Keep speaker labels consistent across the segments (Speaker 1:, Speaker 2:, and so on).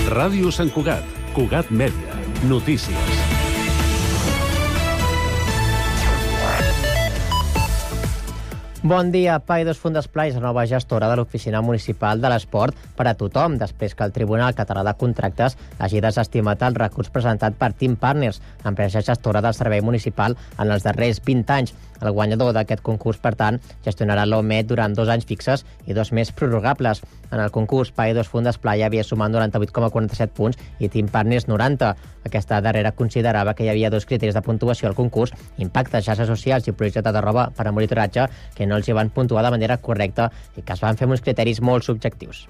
Speaker 1: Ràdio Sant Cugat, Cugat Mèdia, notícies.
Speaker 2: Bon dia. Paidós Font d'Esplai és la nova gestora de l'Oficina Municipal de l'Esport per a tothom, després que el Tribunal Català de Contractes hagi desestimat el recurs presentat per Team Partners, empresa gestora del servei municipal en els darrers 20 anys. El guanyador d'aquest concurs, per tant, gestionarà l'OMET durant 2 anys fixes i 2 més prorrogables. En el concurs, Paidós Font d'Esplai havia sumat 98,47 punts i Team Partners 90. Aquesta darrera considerava que hi havia 2 criteris de puntuació al concurs: impacte, xarxes socials i projecte de roba per a monitoratge, que no els hi van puntuar de manera correcta i que es van fer amb uns criteris molt subjectius.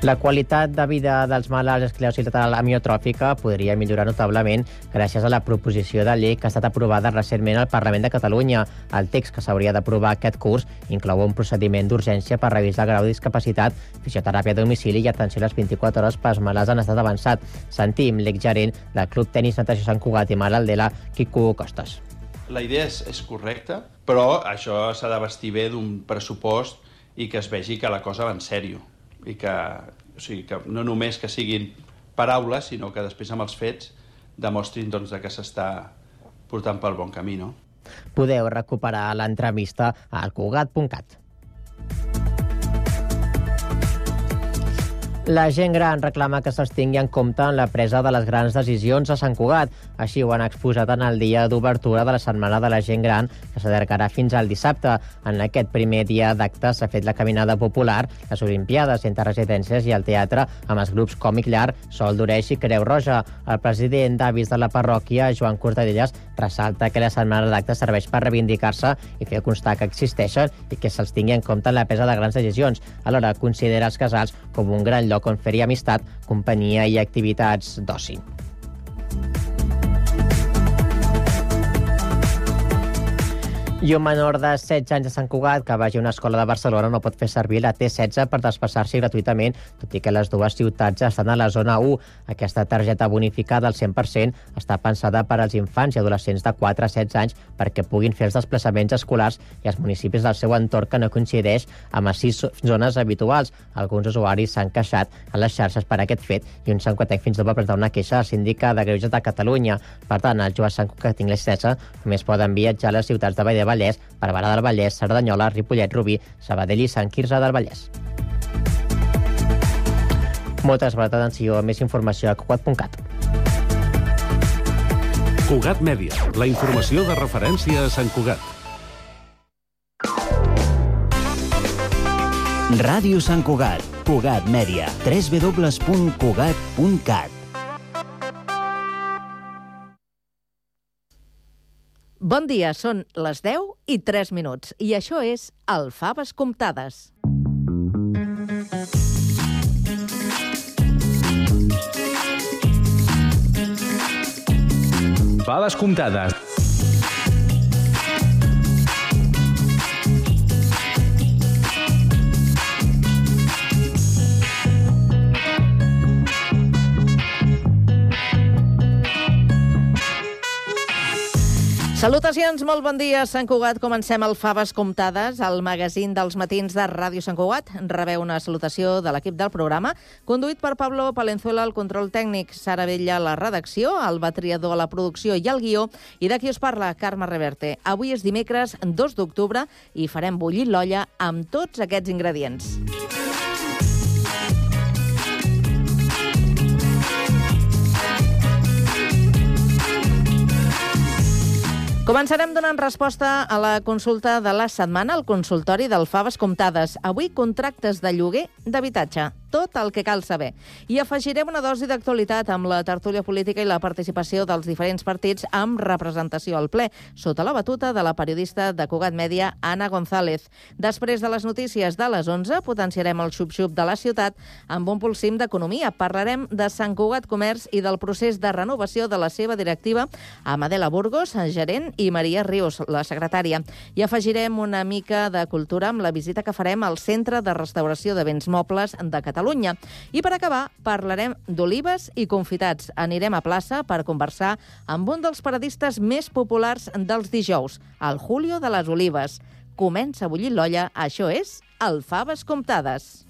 Speaker 2: La qualitat de vida dels malalts d'esclerosi lateral amiotròfica podria millorar notablement gràcies a la proposició de llei que ha estat aprovada recentment al Parlament de Catalunya. El text que s'hauria d'aprovar aquest curs inclou un procediment d'urgència per revisar el grau de discapacitat, fisioteràpia a domicili i atenció a les 24 hores pels malalts en estat avançat. Sentim l'exgerent del Club Tenis Natació Sant Cugat i Malaltela, Quico Costas.
Speaker 3: La idea és correcta, però això s'ha de vestir bé d'un pressupost i que es vegi que la cosa va en sèrio. I que no només que siguin paraules, sinó que després amb els fets demostrin que s'està portant pel bon camí. No?
Speaker 2: Podeu recuperar l'entrevista a alcugat.cat. La gent gran reclama que se'ls tingui en compte en la presa de les grans decisions a Sant Cugat. Així ho han exposat en el dia d'obertura de la Setmana de la Gent Gran, que s'allargarà fins al dissabte. En aquest primer dia d'acte s'ha fet la caminada popular, les Olimpiades entre residències i el teatre amb els grups Còmic Llar, Sol d'Oreix i Creu Roja. El president d'avis de la parròquia, Joan Cortadellas, ressalta que la setmana d'acte serveix per reivindicar-se i fer constar que existeixen i que se'ls tingui en compte en la presa de grans decisions. Alhora considera els casals com un gran lloc on fer-hi amistat, companyia i activitats d'oci. I un menor de 16 anys de Sant Cugat que vagi a una escola de Barcelona no pot fer servir la T16 per desplaçar-s'hi gratuïtament, tot i que les dues ciutats estan a la zona 1. Aquesta targeta bonificada al 100% està pensada per als infants i adolescents de 4 a 16 anys perquè puguin fer els desplaçaments escolars i els municipis del seu entorn que no coincideix amb les 6 zones habituals. Alguns usuaris s'han queixat a les xarxes per aquest fet i un sancuatenc fins i tot va presentar una queixa al síndic de Greuges de Catalunya. Per tant, els joves Sant Cugat que tinguin la T16 només poden viatjar a les ciutats de Vall de Vallès, Barberà del Vallès, Cerdanyola, Ripollet, Rubí, Sabadell i Sant Quirze del Vallès. Moltes gràcies per l'atenció. Més informació a cugat.cat.
Speaker 1: Cugat Mèdia, la informació de referència a Sant Cugat.
Speaker 4: Ràdio Sant Cugat, Cugat Mèdia, www.cugat.cat.
Speaker 5: Bon dia, són les 10:03 i això és el Faves Comptades.
Speaker 6: Faves Comptades.
Speaker 5: Salutacions, molt bon dia, Sant Cugat. Comencem el Faves Comptades, el magazín dels matins de Ràdio Sant Cugat. Rebeu una salutació de l'equip del programa, conduït per Pablo Palenzuela, el control tècnic, Sara Vella, la redacció, el Batriador, la producció i el guió, i de qui us parla, Carme Reverte. Avui és dimecres 2 d'octubre i farem bullir l'olla amb tots aquests ingredients. Començarem donant resposta a la consulta de la setmana al consultori del Faves Comptades. Avui, contractes de lloguer d'habitatge. Tot el que cal saber. I afegirem una dosi d'actualitat amb la tertúlia política i la participació dels diferents partits amb representació al ple, sota la batuta de la periodista de Cugat Mèdia, Anna González. Després de les notícies de les 11, potenciarem el xup-xup de la ciutat amb un pulsim d'economia. Parlarem de Sant Cugat Comerç i del procés de renovació de la seva directiva amb Adela Burgos, gerent, i Maria Rius, la secretària. I afegirem una mica de cultura amb la visita que farem al Centre de Restauració de Béns Mobles de Catalunya. I per acabar, parlarem d'olives i confitats. Anirem a plaça per conversar amb un dels paradistes més populars dels dijous, el Julio de les Olives. Comença a bullir l'olla, això és el Faves Comptades.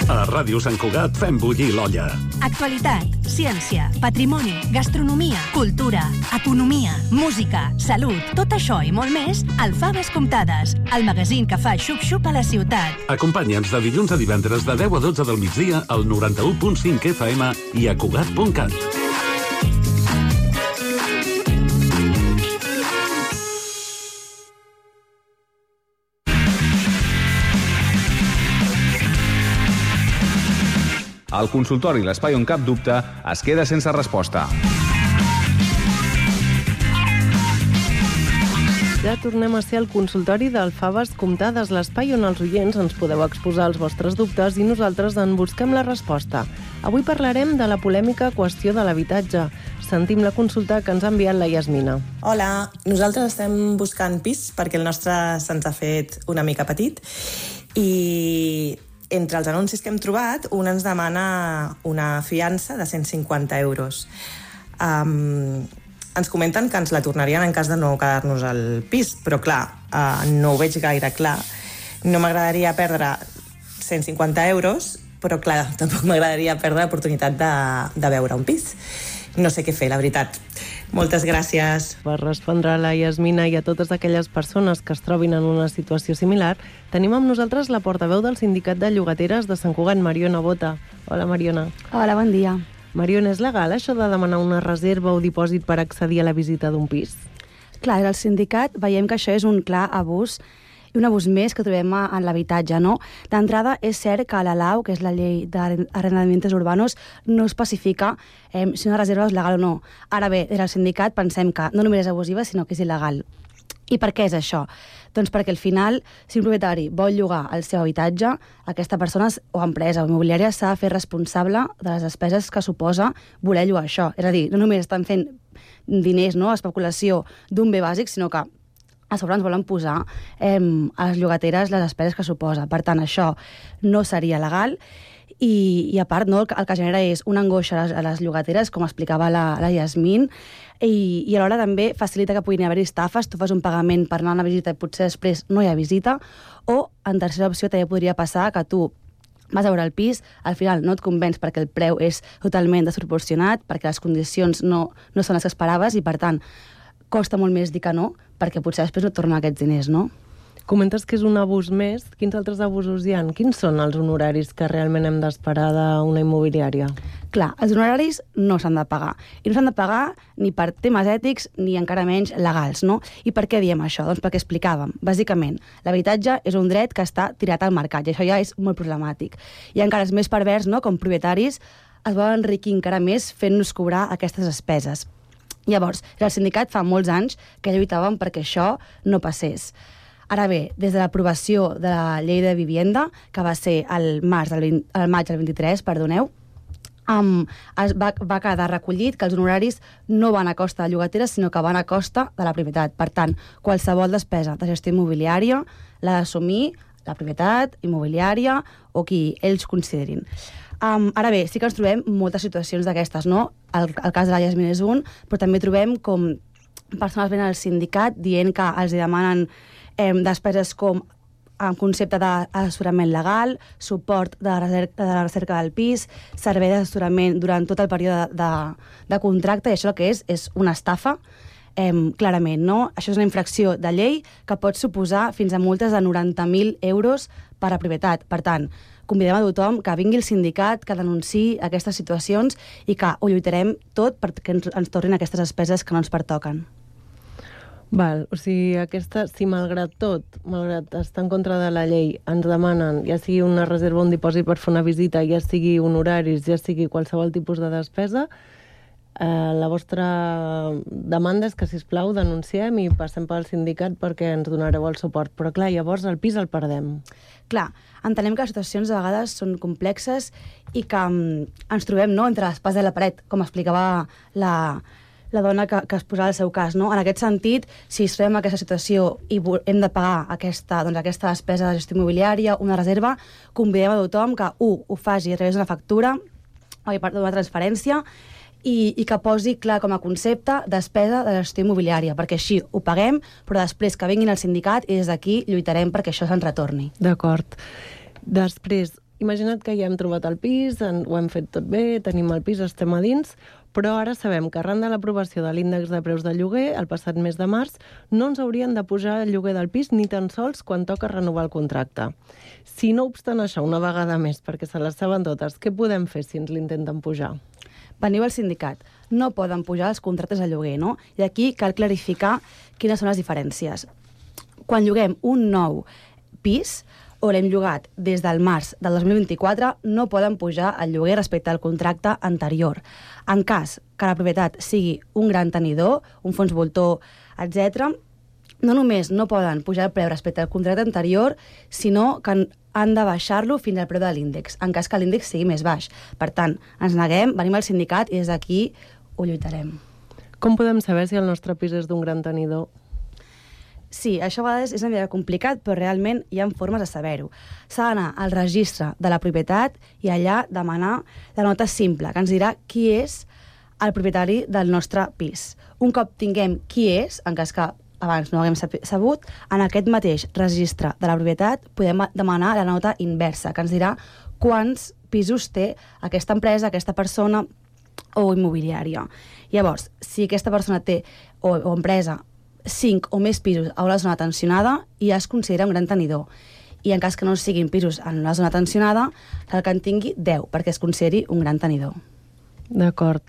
Speaker 1: A Ràdio Sant Cugat fem bullir l'olla.
Speaker 6: Actualitat, ciència, patrimoni, gastronomia, cultura, economia, música, salut, tot això i molt més al Faves Comptades, el magazín que fa xup-xup a la ciutat.
Speaker 1: Acompanya'ns de dilluns a divendres de 10 a 12 del migdia al 91.5 FM i a Cugat.cat.
Speaker 7: El consultori L'Espai on cap dubte es queda sense resposta.
Speaker 8: Ja tornem a ser al consultori del Faves Comptades, l'espai on els oients ens podeu exposar els vostres dubtes i nosaltres en busquem la resposta. Avui parlarem de la polèmica qüestió de l'habitatge. Sentim la consulta que ens ha enviat la Yasmina.
Speaker 9: Hola, nosaltres estem buscant pis perquè el nostre se'ns ha fet una mica petit i entre els anuncis que hem trobat, un ens demana una fiança de 150 euros. Ens comenten que ens la tornarien en cas de no quedar-nos al pis, però clar, no ho veig gaire clar. No m'agradaria perdre 150 euros, però clar, tampoc m'agradaria perdre l'oportunitat de veure un pis. No sé què fer, la veritat. Moltes gràcies.
Speaker 8: Per respondre a la Yasmina i a totes aquelles persones que es trobin en una situació similar, tenim amb nosaltres la portaveu del Sindicat de Llogateres de Sant Cugat, Mariona Bota. Hola, Mariona.
Speaker 10: Hola, bon dia.
Speaker 8: Mariona, és legal això de demanar una reserva o dipòsit per accedir a la visita d'un pis?
Speaker 10: Clar, al sindicat veiem que això és un clar abús i un abús més que trobem en l'habitatge, no? D'entrada, és cert que la LAU, que és la llei d'arrendamientos urbanos, no especifica si una reserva és legal o no. Ara bé, des del sindicat pensem que no només és abusiva, sinó que és il·legal. I per què és això? Doncs perquè al final, si un propietari vol llogar el seu habitatge, aquesta persona o empresa o immobiliària s'ha de fer responsable de les despeses que suposa voler llogar això. És a dir, no només estan fent diners, no?, especulació d'un bé bàsic, sinó que a sobre ens volen posar a les llogateres les despeses que suposa. Per tant, això no seria legal i a part, no, el que genera és una angoixa a les llogateres, com explicava la Yasmin, i alhora també facilita que puguin haver estafes. Tu fas un pagament per anar a una visita i potser després no hi ha visita, o en tercera opció també podria passar que tu vas a veure el pis, al final no et convenç perquè el preu és totalment desproporcionat, perquè les condicions no són les que esperaves i, per tant, costa molt més dir que no, perquè potser després no et tornen aquests diners, no?
Speaker 8: Comentes que és un abús més. Quins altres abusos hi ha? Quins són els honoraris que realment hem d'esperar d'una immobiliària?
Speaker 10: Clar, els honoraris no s'han de pagar. I no s'han de pagar ni per temes ètics ni encara menys legals, no? I per què diem això? Doncs perquè explicàvem. Bàsicament, l'habitatge és un dret que està tirat al mercat i això ja és molt problemàtic. I encara és més pervers, no?, com propietaris es volen enriquir encara més fent-nos cobrar aquestes despeses. Llavors, el sindicat fa molts anys que lluitàvem perquè això no passés. Ara bé, des de l'aprovació de la llei de vivienda, que va ser al maig del 23, va quedar recollit que els honoraris no van a costa de llogateres, sinó que van a costa de la propietat. Per tant, qualsevol despesa de gestió immobiliària l'ha d'assumir la propietat immobiliària o qui ells considerin. Ara bé, sí que ens trobem moltes situacions d'aquestes, no? El cas de la Yasmin és un, però també trobem com persones venen al sindicat dient que els demanen despeses com en concepte d'assessorament legal, suport de la recerca del pis, servei d'assessorament durant tot el període de contracte, i això el que és una estafa, clarament, no? Això és una infracció de llei que pot suposar fins a multes de 90.000 euros per a propietat. Per tant, convidem a tothom que vingui al sindicat, que denunciï aquestes situacions i que ho lluitarem tot perquè ens tornin aquestes despeses que no ens pertoquen.
Speaker 8: Val, o sigui, si malgrat tot, malgrat estar en contra de la llei, ens demanen, ja sigui una reserva o un dipòsit per fer una visita, ja sigui honoraris, ja sigui qualsevol tipus de despesa, la vostra demanda és que, sisplau, denunciem i passem pel sindicat perquè ens donareu el suport. Però, clar, llavors el pis el perdem.
Speaker 10: Clar, entenem que les situacions de vegades són complexes i que ens trobem, no?, entre l'espasa i la paret, com explicava la dona que es posava el seu cas, no? En aquest sentit, si es trobem en aquesta situació i hem de pagar aquesta despesa de gestió immobiliària, una reserva, convidem a tothom que, ho faci a través d'una factura o d'una transferència i que posi clar com a concepte despesa de gestió immobiliària, perquè així ho paguem, però després que vinguin al sindicat i des d'aquí lluitarem perquè això se'n retorni.
Speaker 8: D'acord. Després, imagina't que ja hem trobat el pis, ho hem fet tot bé, tenim el pis, estem a dins, però ara sabem que arran de l'aprovació de l'índex de preus de lloguer, el passat mes de març, no ens haurien de pujar el lloguer del pis ni tan sols quan toca renovar el contracte. Si no obstant això, una vegada més, perquè se les saben totes, què podem fer si ens l'intenten pujar?
Speaker 10: Veniu al sindicat. No poden pujar els contractes de lloguer, no? I aquí cal clarificar quines són les diferències. Quan lloguem un nou pis, o l'hem llogat des del març del 2024, no poden pujar el lloguer respecte al contracte anterior. En cas que la propietat sigui un gran tenidor, un fons voltor, etc., no només no poden pujar el preu respecte al contracte anterior, sinó que han de baixar-lo fins al preu de l'índex, en cas que l'índex sigui més baix. Per tant, ens neguem, venim al sindicat i des d'aquí ho lluitarem.
Speaker 8: Com podem saber si el nostre pis és d'un gran tenidor?
Speaker 10: Sí, això a vegades és una mica complicat, però realment hi ha formes de saber-ho. S'ha d'anar al registre de la propietat i allà demanar la nota simple, que ens dirà qui és el propietari del nostre pis. Un cop tinguem qui és, en cas que abans no ho haguem sabut, en aquest mateix registre de la propietat podem demanar la nota inversa, que ens dirà quants pisos té aquesta empresa, aquesta persona o immobiliària. Llavors, si aquesta persona té, o empresa, 5 o més pisos a una zona tensionada, ja es considera un gran tenidor. I en cas que no siguin pisos en una zona tensionada, cal que en tingui 10, perquè es consideri un gran tenidor.
Speaker 8: D'acord.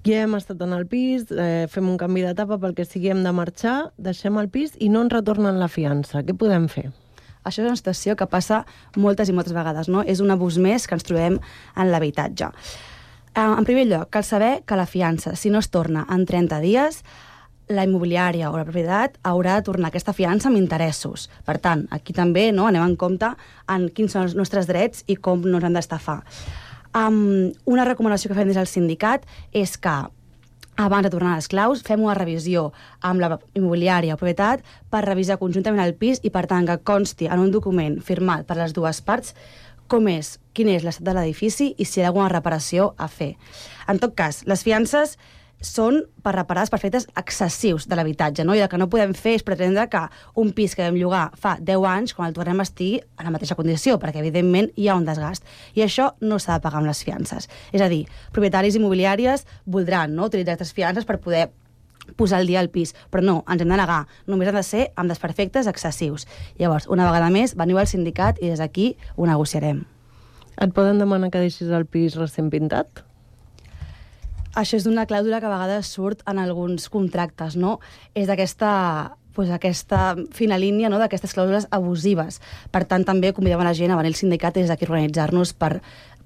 Speaker 8: Ja hem estat en el pis, fem un canvi d'etapa pel que sigui, hem de marxar, deixem el pis i no ens retornen la fiança. Què podem fer?
Speaker 10: Això és una situació que passa moltes i moltes vegades, no? És un abús més que ens trobem en l'habitatge. En primer lloc, cal saber que la fiança, si no es torna en 30 dies, la immobiliària o la propietat haurà de tornar aquesta fiança amb interessos. Per tant, aquí també anem en compte en quins són els nostres drets i com no ens han d'estafar. Una recomanació que fem des del sindicat és que abans de tornar les claus fem una revisió amb la immobiliària o propietat per revisar conjuntament el pis i per tant que consti en un document firmat per les dues parts quin és l'estat de l'edifici i si hi ha alguna reparació a fer. En tot cas, les fiances són per reparar els perfectes excessius de l'habitatge, no? I el que no podem fer és pretendre que un pis que vam llogar fa 10 anys, quan el tornem a estigui en la mateixa condició, perquè evidentment hi ha un desgast. I això no s'ha de pagar amb les fiances. És a dir, propietaris immobiliàries voldran utilitzar aquestes fiances per poder posar al dia el pis, però no, ens hem de negar. Només han de ser amb desperfectes excessius. Llavors, una vegada més, veniu al sindicat i des d'aquí ho negociarem.
Speaker 8: Et poden demanar que deixis el pis recent pintat?
Speaker 10: Això és una clàusula que a vegades surt en alguns contractes, no? És d'aquesta fina línia, d'aquestes clàusules abusives. Per tant, també convidem a la gent a venir al sindicat i des d'aquí organitzar-nos per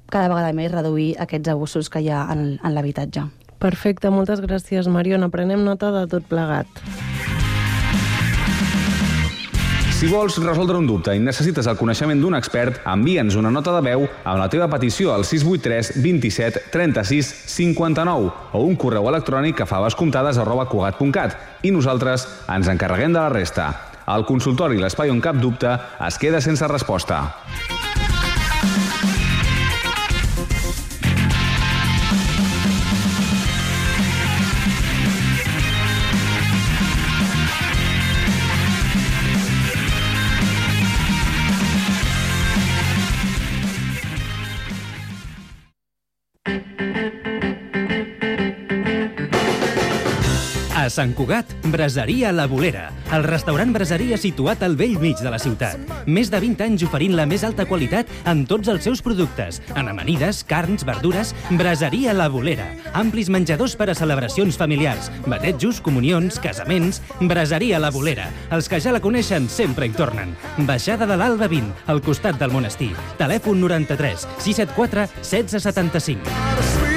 Speaker 10: cada vegada més reduir aquests abusos que hi ha en l'habitatge.
Speaker 8: Perfecte, moltes gràcies, Mariona. Prenem nota de tot plegat.
Speaker 7: Si vols resoldre un dubte i necessites el coneixement d'un expert, envia'ns una nota de veu amb la teva petició al 683 27 36 59 o un correu electrònic a favascomptades@cugat.cat i nosaltres ens encarreguem de la resta. El consultori i l'espai on cap dubte es queda sense resposta.
Speaker 11: A Sant Cugat, Braseria La Bolera, el restaurant braseria situat al vell mig de la ciutat. Més de 20 anys oferint la més alta qualitat en tots els seus productes. En amanides, carns, verdures, Braseria La Bolera. Amplis menjadors per a celebracions familiars, batejos, comunions, casaments. Braseria La Bolera. Els que ja la coneixen sempre hi tornen. Baixada de l'Alba 20, al costat del monestir. Telèfon 93 674 1675.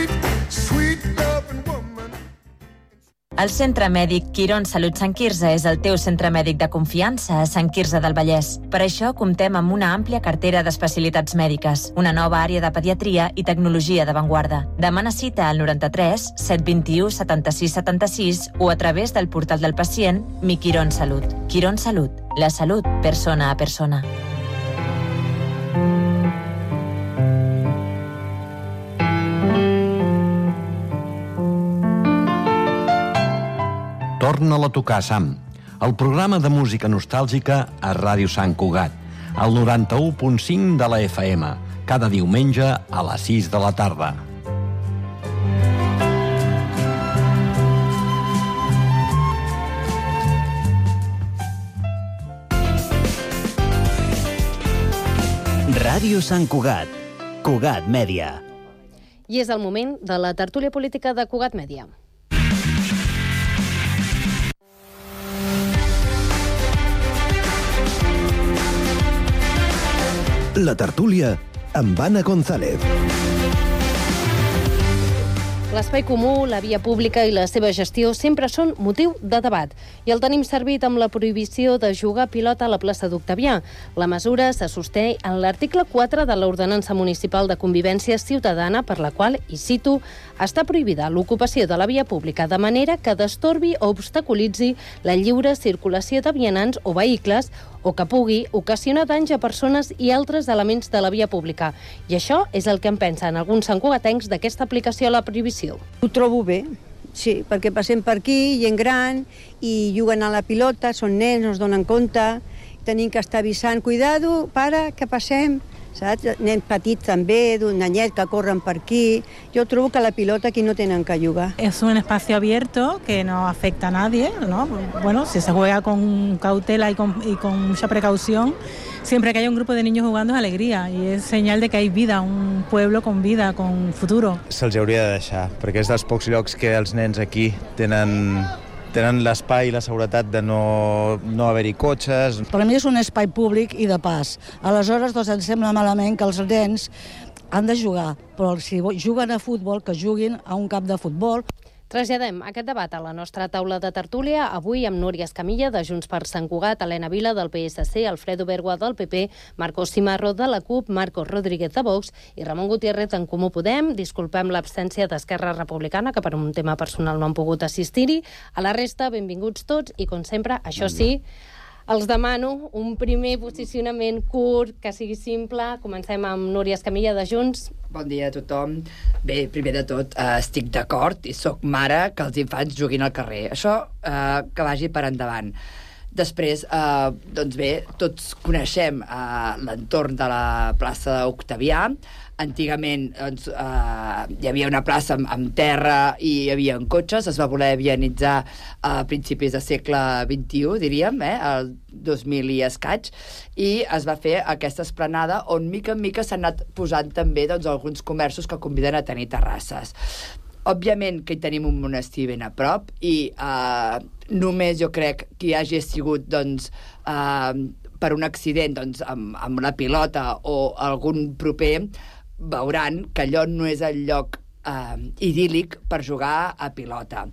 Speaker 12: El Centre Mèdic Quirón Salut Sant Quirze és el teu centre mèdic de confiança a Sant Quirze del Vallès. Per això comptem amb una àmplia cartera d'especialitats mèdiques, una nova àrea de pediatria i tecnologia d'avantguarda. Demana cita al 93 721 76 76 o a través del portal del pacient Mi Quirón Salut. Quirón Salut, la salut persona a persona.
Speaker 13: Torna-la a tocar, Sam, el programa de música nostàlgica a Ràdio Sant Cugat. al 91.5 de la FM, cada diumenge a les 6 de la tarda.
Speaker 4: Ràdio Sant Cugat, Cugat Mèdia.
Speaker 14: I és el moment de la tertúlia política de Cugat Mèdia.
Speaker 15: La tertúlia amb Anna González.
Speaker 14: L'espai comú, la via pública i la seva gestió sempre són motiu de debat. I el tenim servit amb la prohibició de jugar a pilota a la plaça d'Octavià. La mesura se sosté en l'article 4 de l'Ordenança Municipal de Convivència Ciutadana, per la qual, i cito, està prohibida l'ocupació de la via pública de manera que destorbi o obstaculitzi la lliure circulació de vianants o vehicles o que pugui ocasionar danys a persones i altres elements de la via pública. I això és el que en pensen alguns santcugatencs d'aquesta aplicació a la prohibició.
Speaker 16: Ho trobo bé, sí, perquè passem per aquí, gent gran, i juguen a la pilota, són nens, no es donen compte, tenim que estar avisant, cuidado, para, que passem, saps? Nens petits també, d'un anyet que corren per aquí. Jo trobo que la pilota aquí no tenen que jugar.
Speaker 17: Es un espacio abierto que no afecta a nadie, ¿no? Bueno, si se juega con cautela y con mucha precaución, siempre que haya un grupo de niños jugando es alegría y es señal de que hay vida, un pueblo con vida, con futuro.
Speaker 18: Se'ls hauria de deixar, perquè és dels pocs llocs que els nens aquí tenen l'espai i la seguretat de no haver-hi cotxes.
Speaker 19: Per a mi és un espai públic i de pas. Aleshores, doncs, em sembla malament que els nens han de jugar, però si juguen a futbol, que juguin a un camp de futbol.
Speaker 14: Traslladem aquest debat a la nostra taula de tertúlia, avui amb Núria Escamilla, de Junts per Sant Cugat, Helena Vila, del PSC, Alfredo Bergua, del PP, Marcos Cimarro, de la CUP, Marcos Rodríguez, de Vox, i Ramon Gutiérrez, en Comú Podem. Disculpem l'absència d'Esquerra Republicana, que per un tema personal no han pogut assistir-hi. A la resta, benvinguts tots, i com sempre, això sí, els demano un primer posicionament curt, que sigui simple. Comencem amb Núria Escamilla, de Junts.
Speaker 20: Bon dia a tothom. Bé, primer de tot, estic d'acord i sóc mare que els infants juguin al carrer. Això que vagi per endavant. Després, doncs bé, tots coneixem l'entorn de la plaça d'Octavià. Antigament doncs, hi havia una plaça amb terra i hi havia cotxes, es va voler vianitzar a principis del segle XXI, diríem, el 2000 i escaig, i es va fer aquesta esplanada on mica en mica s'han anat posant també doncs, alguns comerços que conviden a tenir terrasses. Òbviament que hi tenim un monestir ben a prop i només jo crec que hi hagi sigut doncs, per un accident doncs, amb la pilota o algun proper, veuran que allò no és el lloc idíl·lic per jugar a pilota.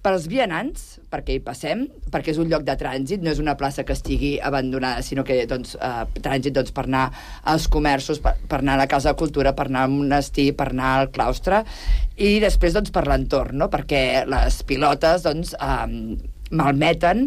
Speaker 20: Per als vianants, perquè hi passem, perquè és un lloc de trànsit, no és una plaça que estigui abandonada, sinó que doncs, trànsit doncs, per anar als comerços, per anar a la Casa de Cultura, per anar al monestir, per anar al claustre, i després doncs, per l'entorn, no? Perquè les pilotes doncs, malmeten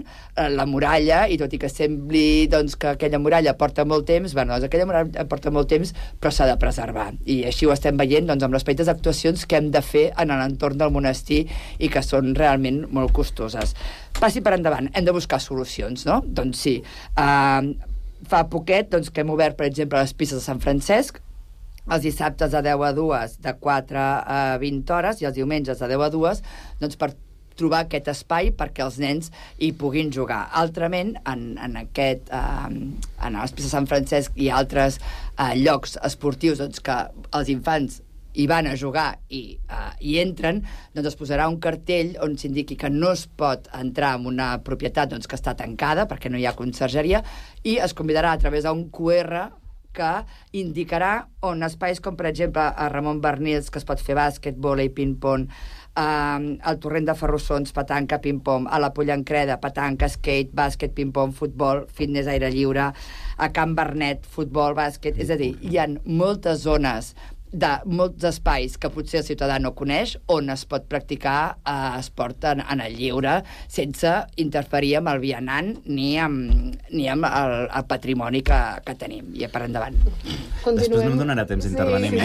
Speaker 20: la muralla, i tot i que sembli doncs, que aquella muralla porta molt temps, bueno, doncs aquella muralla porta molt temps, però s'ha de preservar. I així ho estem veient doncs, amb les petites actuacions que hem de fer en l'entorn del monestir i que són realment molt costoses. Passi per endavant, hem de buscar solucions, no? Doncs sí, fa poquet doncs, que hem obert, per exemple, les pistes de Sant Francesc, els dissabtes de 10 a 2, de 4 a 20 hores, i els diumenges de 10 a 2, doncs per trobar aquest espai perquè els nens hi puguin jugar. Altrament, en les pistes de Sant Francesc i altres llocs esportius doncs, que els infants hi van a jugar i entren, doncs es posarà un cartell on s'indiqui que no es pot entrar en una propietat doncs, que està tancada perquè no hi ha consergeria, i es convidarà a través d'un QR que indicarà on espais com, per exemple, a Ramon Barnils, que es pot fer bàsquet, vòlei, ping-pong, al Torrent de Ferrossons, petanca, ping-pong, a la Pollancreda, petanca, skate, bàsquet, ping-pong, futbol, fitness, aire lliure, a Can Bernet, futbol, bàsquet, és a dir, hi ha moltes zones de molts espais que potser el ciutadà no coneix on es pot practicar esport en el lliure sense interferir amb el vianant ni amb el patrimoni que tenim. I per endavant.
Speaker 21: Després no em donarà temps d'intervenir.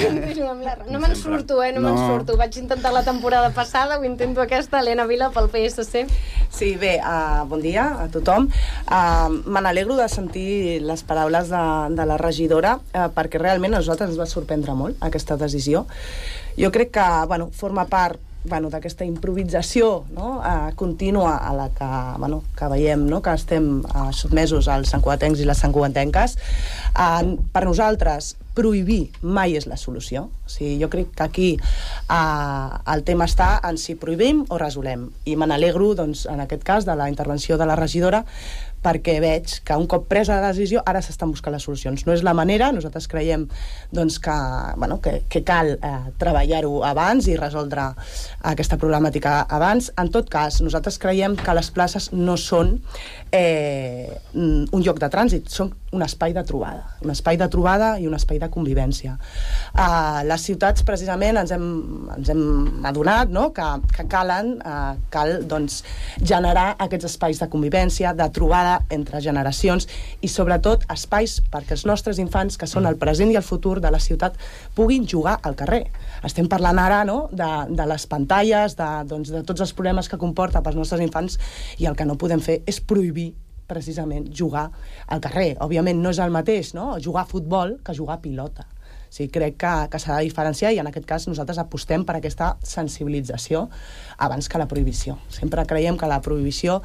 Speaker 14: No me'n surto, no me'n surto. Vaig intentar la temporada passada, ho intento aquesta, Helena Vila pel PSC.
Speaker 3: Sí, bé, bon dia a tothom. Me n'alegro de sentir les paraules de la regidora, perquè realment a nosaltres ens va sorprendre molt aquesta decisió. Jo crec que forma part d'aquesta improvisació contínua a la que veiem, que estem sotmesos als santcugatencs i les santcugatenques. Per nosaltres, prohibir mai és la solució. O sigui, jo crec que aquí el tema està en si prohibim o resolem. I me n'alegro, doncs, en aquest cas, de la intervenció de la regidora, perquè veig que un cop presa la decisió ara s'estan buscant les solucions. No és la manera, nosaltres creiem doncs, que cal treballar-ho abans i resoldre aquesta problemàtica abans. En tot cas, nosaltres creiem que les places no són un lloc de trànsit, són un espai de trobada i un espai de convivència. Les ciutats, precisament, ens hem adonat que cal doncs, generar aquests espais de convivència, de trobada entre generacions i, sobretot, espais perquè els nostres infants, que són el present i el futur de la ciutat, puguin jugar al carrer. Estem parlant ara de les pantalles, de tots els problemes que comporta pels nostres infants, i el que no podem fer és prohibir precisament jugar al carrer. Òbviament no és el mateix, jugar a futbol que jugar a pilota. Sí, crec que s'ha de diferenciar i en aquest cas nosaltres apostem per aquesta sensibilització abans que la prohibició. Sempre creiem que la prohibició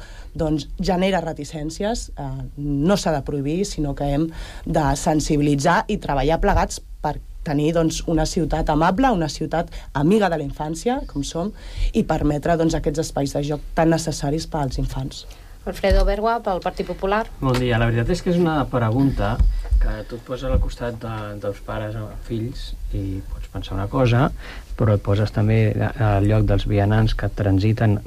Speaker 3: genera reticències, no s'ha de prohibir, sinó que hem de sensibilitzar i treballar plegats per tenir una ciutat amable, una ciutat amiga de la infància, com som, i permetre aquests espais de joc tan necessaris per als infants.
Speaker 14: Alfredo Bergua, pel Partit Popular.
Speaker 22: Bon dia. La veritat és que és una pregunta que tu et poses al costat dels pares o fills i pots pensar una cosa, però et poses també al lloc dels vianants que transiten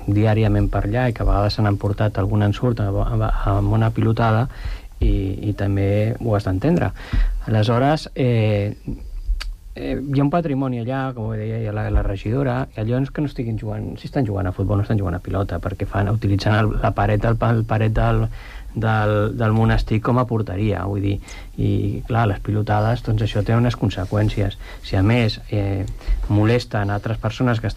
Speaker 22: diàriament per allà i que a vegades se n'han portat algun ensurt amb una pilotada i també ho has d'entendre. Aleshores, hi ha un patrimoni allà, com ho deia la regidora, i allò que no estiguin jugant, si estan jugant a futbol no estan jugant a pilota, perquè utilitzant la paret del monestir com a porteria, vull dir, i clar, les pilotades, doncs això té unes conseqüències. Si a més molesten altres persones que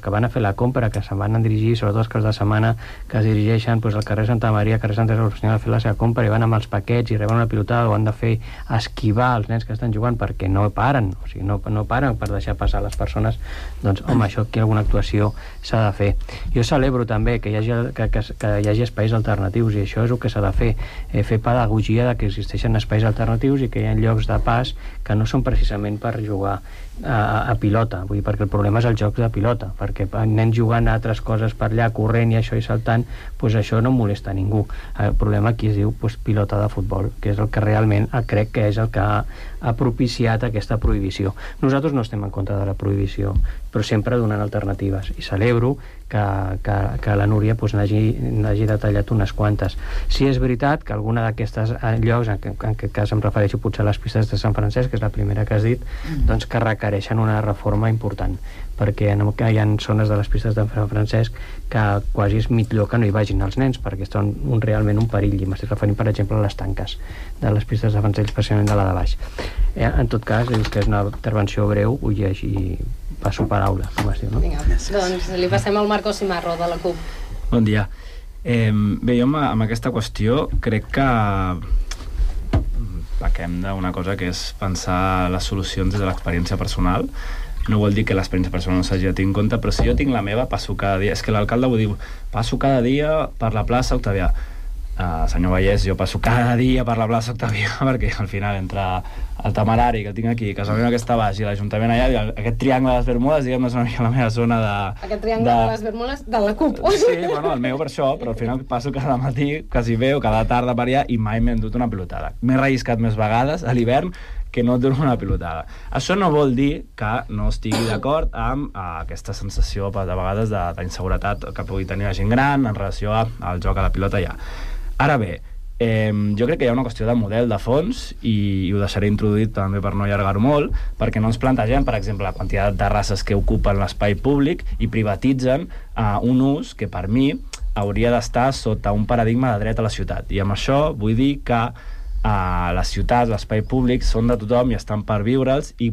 Speaker 22: van a fer la compra, que se'n van a dirigir, sobretot els caps de setmana, que es dirigeixen al carrer Santa Maria, carrer Santa Teresa, a fer la seva compra i van amb els paquets i reben una pilotada, o han de fer esquivar els nens que estan jugant perquè no paren, o sigui, no paren per deixar passar les persones, doncs home, això aquí alguna actuació s'ha de fer. Jo celebro també que hi hagi espais alternatius, i això és el que s'ha de fer, fer pedagogia de que existeixen espais alternatius i que hi ha llocs de pas que no són precisament per jugar a pilota, vull dir, perquè el problema és el joc de pilota, perquè nens jugant a altres coses per allà, corrent i això i saltant, doncs això no molesta a ningú. El problema aquí es diu pilota de futbol, que és el que realment crec que és el que ha propiciat aquesta prohibició. Nosaltres no estem en contra de la prohibició, però sempre donant alternatives, i celebro que la Núria n'hagi detallat unes quantes. Si és veritat que alguna d'aquestes llocs, en aquest cas em refereixo potser a les pistes de Sant Francesc, que és la primera que has dit, doncs que requereixen una reforma important, perquè hi ha zones de les pistes de Sant Francesc que quasi és millor que no hi vagin els nens, perquè són realment un perill, i m'estic referint, per exemple, a les tanques de les pistes de Francesc, especialment de la de baix. En tot cas, dius que és una intervenció breu, ho llegeixo, passo paraula, com es diu, no?
Speaker 14: Vinga, doncs li passem al Marco Cimarro, de la CUP.
Speaker 23: Bon dia. Bé, jo amb aquesta qüestió crec que pequem d'una cosa que és pensar les solucions des de l'experiència personal. No vol dir que l'experiència personal no s'hagi de tenir en compte, però si jo tinc la meva, passo cada dia. És que l'alcalde ho diu, passo cada dia per la plaça Octavià. Senyor Vallès, jo passo cada dia per la plaça Octavià, perquè al final entre el Temerari que tinc aquí, Casa Meva que està baix, i l'Ajuntament allà, aquest triangle de les Bermudes, diguem, és una mica la meva zona de...
Speaker 14: Aquest triangle de les Bermudes de la CUP.
Speaker 23: Sí, bueno, el meu per això, però al final passo cada matí, quasi bé, o cada tarda per allà, i mai m'he endut una pilotada. M'he relliscat més vegades a l'hivern que no dono una pilotada. Això no vol dir que no estigui d'acord amb aquesta sensació de vegades d'inseguretat que pugui tenir la gent gran en relació al joc a la pilota ja. Ara bé, jo crec que hi ha una qüestió de model de fons i ho deixaré introduït també per no allargar-ho molt, perquè no ens plantegem, per exemple, la quantitat de races que ocupen l'espai públic i privatitzen un ús que per mi hauria d'estar sota un paradigma de dret a la ciutat. I amb això vull dir que les ciutats, l'espai públic, són de tothom i estan per viure'ls, i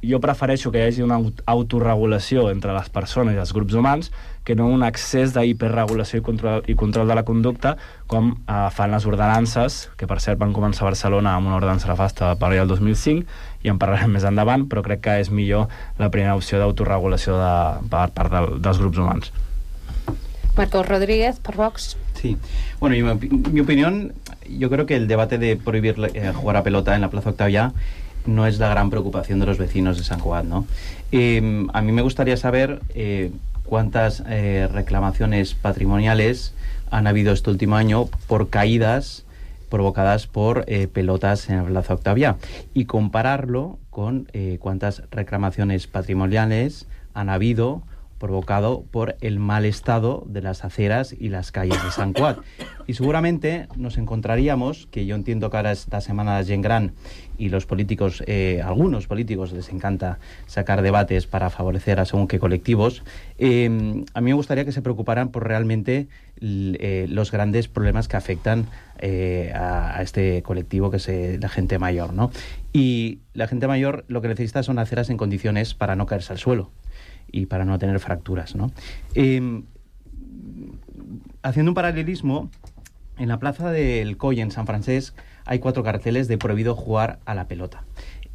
Speaker 23: jo prefereixo que hi hagi una autorregulació entre les persones i els grups humans que no un excés d'hiperregulació i control de la conducta com fan les ordenances, que per cert van començar a Barcelona amb una ordenança nefasta per allà el 2005 i en parlarem més endavant, però crec que és millor la primera opció d'autorregulació per part dels grups humans.
Speaker 14: Marcos Rodríguez, por Vox.
Speaker 21: Sí, bueno, mi opinión, yo creo que el debate de prohibir jugar a pelota en la Plaza Octavià no es la gran preocupación de los vecinos de Sant Cugat, ¿no? A mí me gustaría saber cuántas reclamaciones patrimoniales han habido este último año por caídas provocadas por pelotas en la Plaza Octavià y compararlo con cuántas reclamaciones patrimoniales han habido provocado por el mal estado de las aceras y las calles de Sant Cugat. Y seguramente nos encontraríamos, que yo entiendo que ahora esta semana de Gent Gran y los políticos, algunos políticos les encanta sacar debates para favorecer a según qué colectivos, a mí me gustaría que se preocuparan por realmente los grandes problemas que afectan a este colectivo que es la gente mayor, ¿no? Y la gente mayor lo que necesita son aceras en condiciones para no caerse al suelo y para no tener fracturas, ¿no? Haciendo un paralelismo, en la plaza del Coll, en San Francesc, hay 4 carteles de prohibido jugar a la pelota.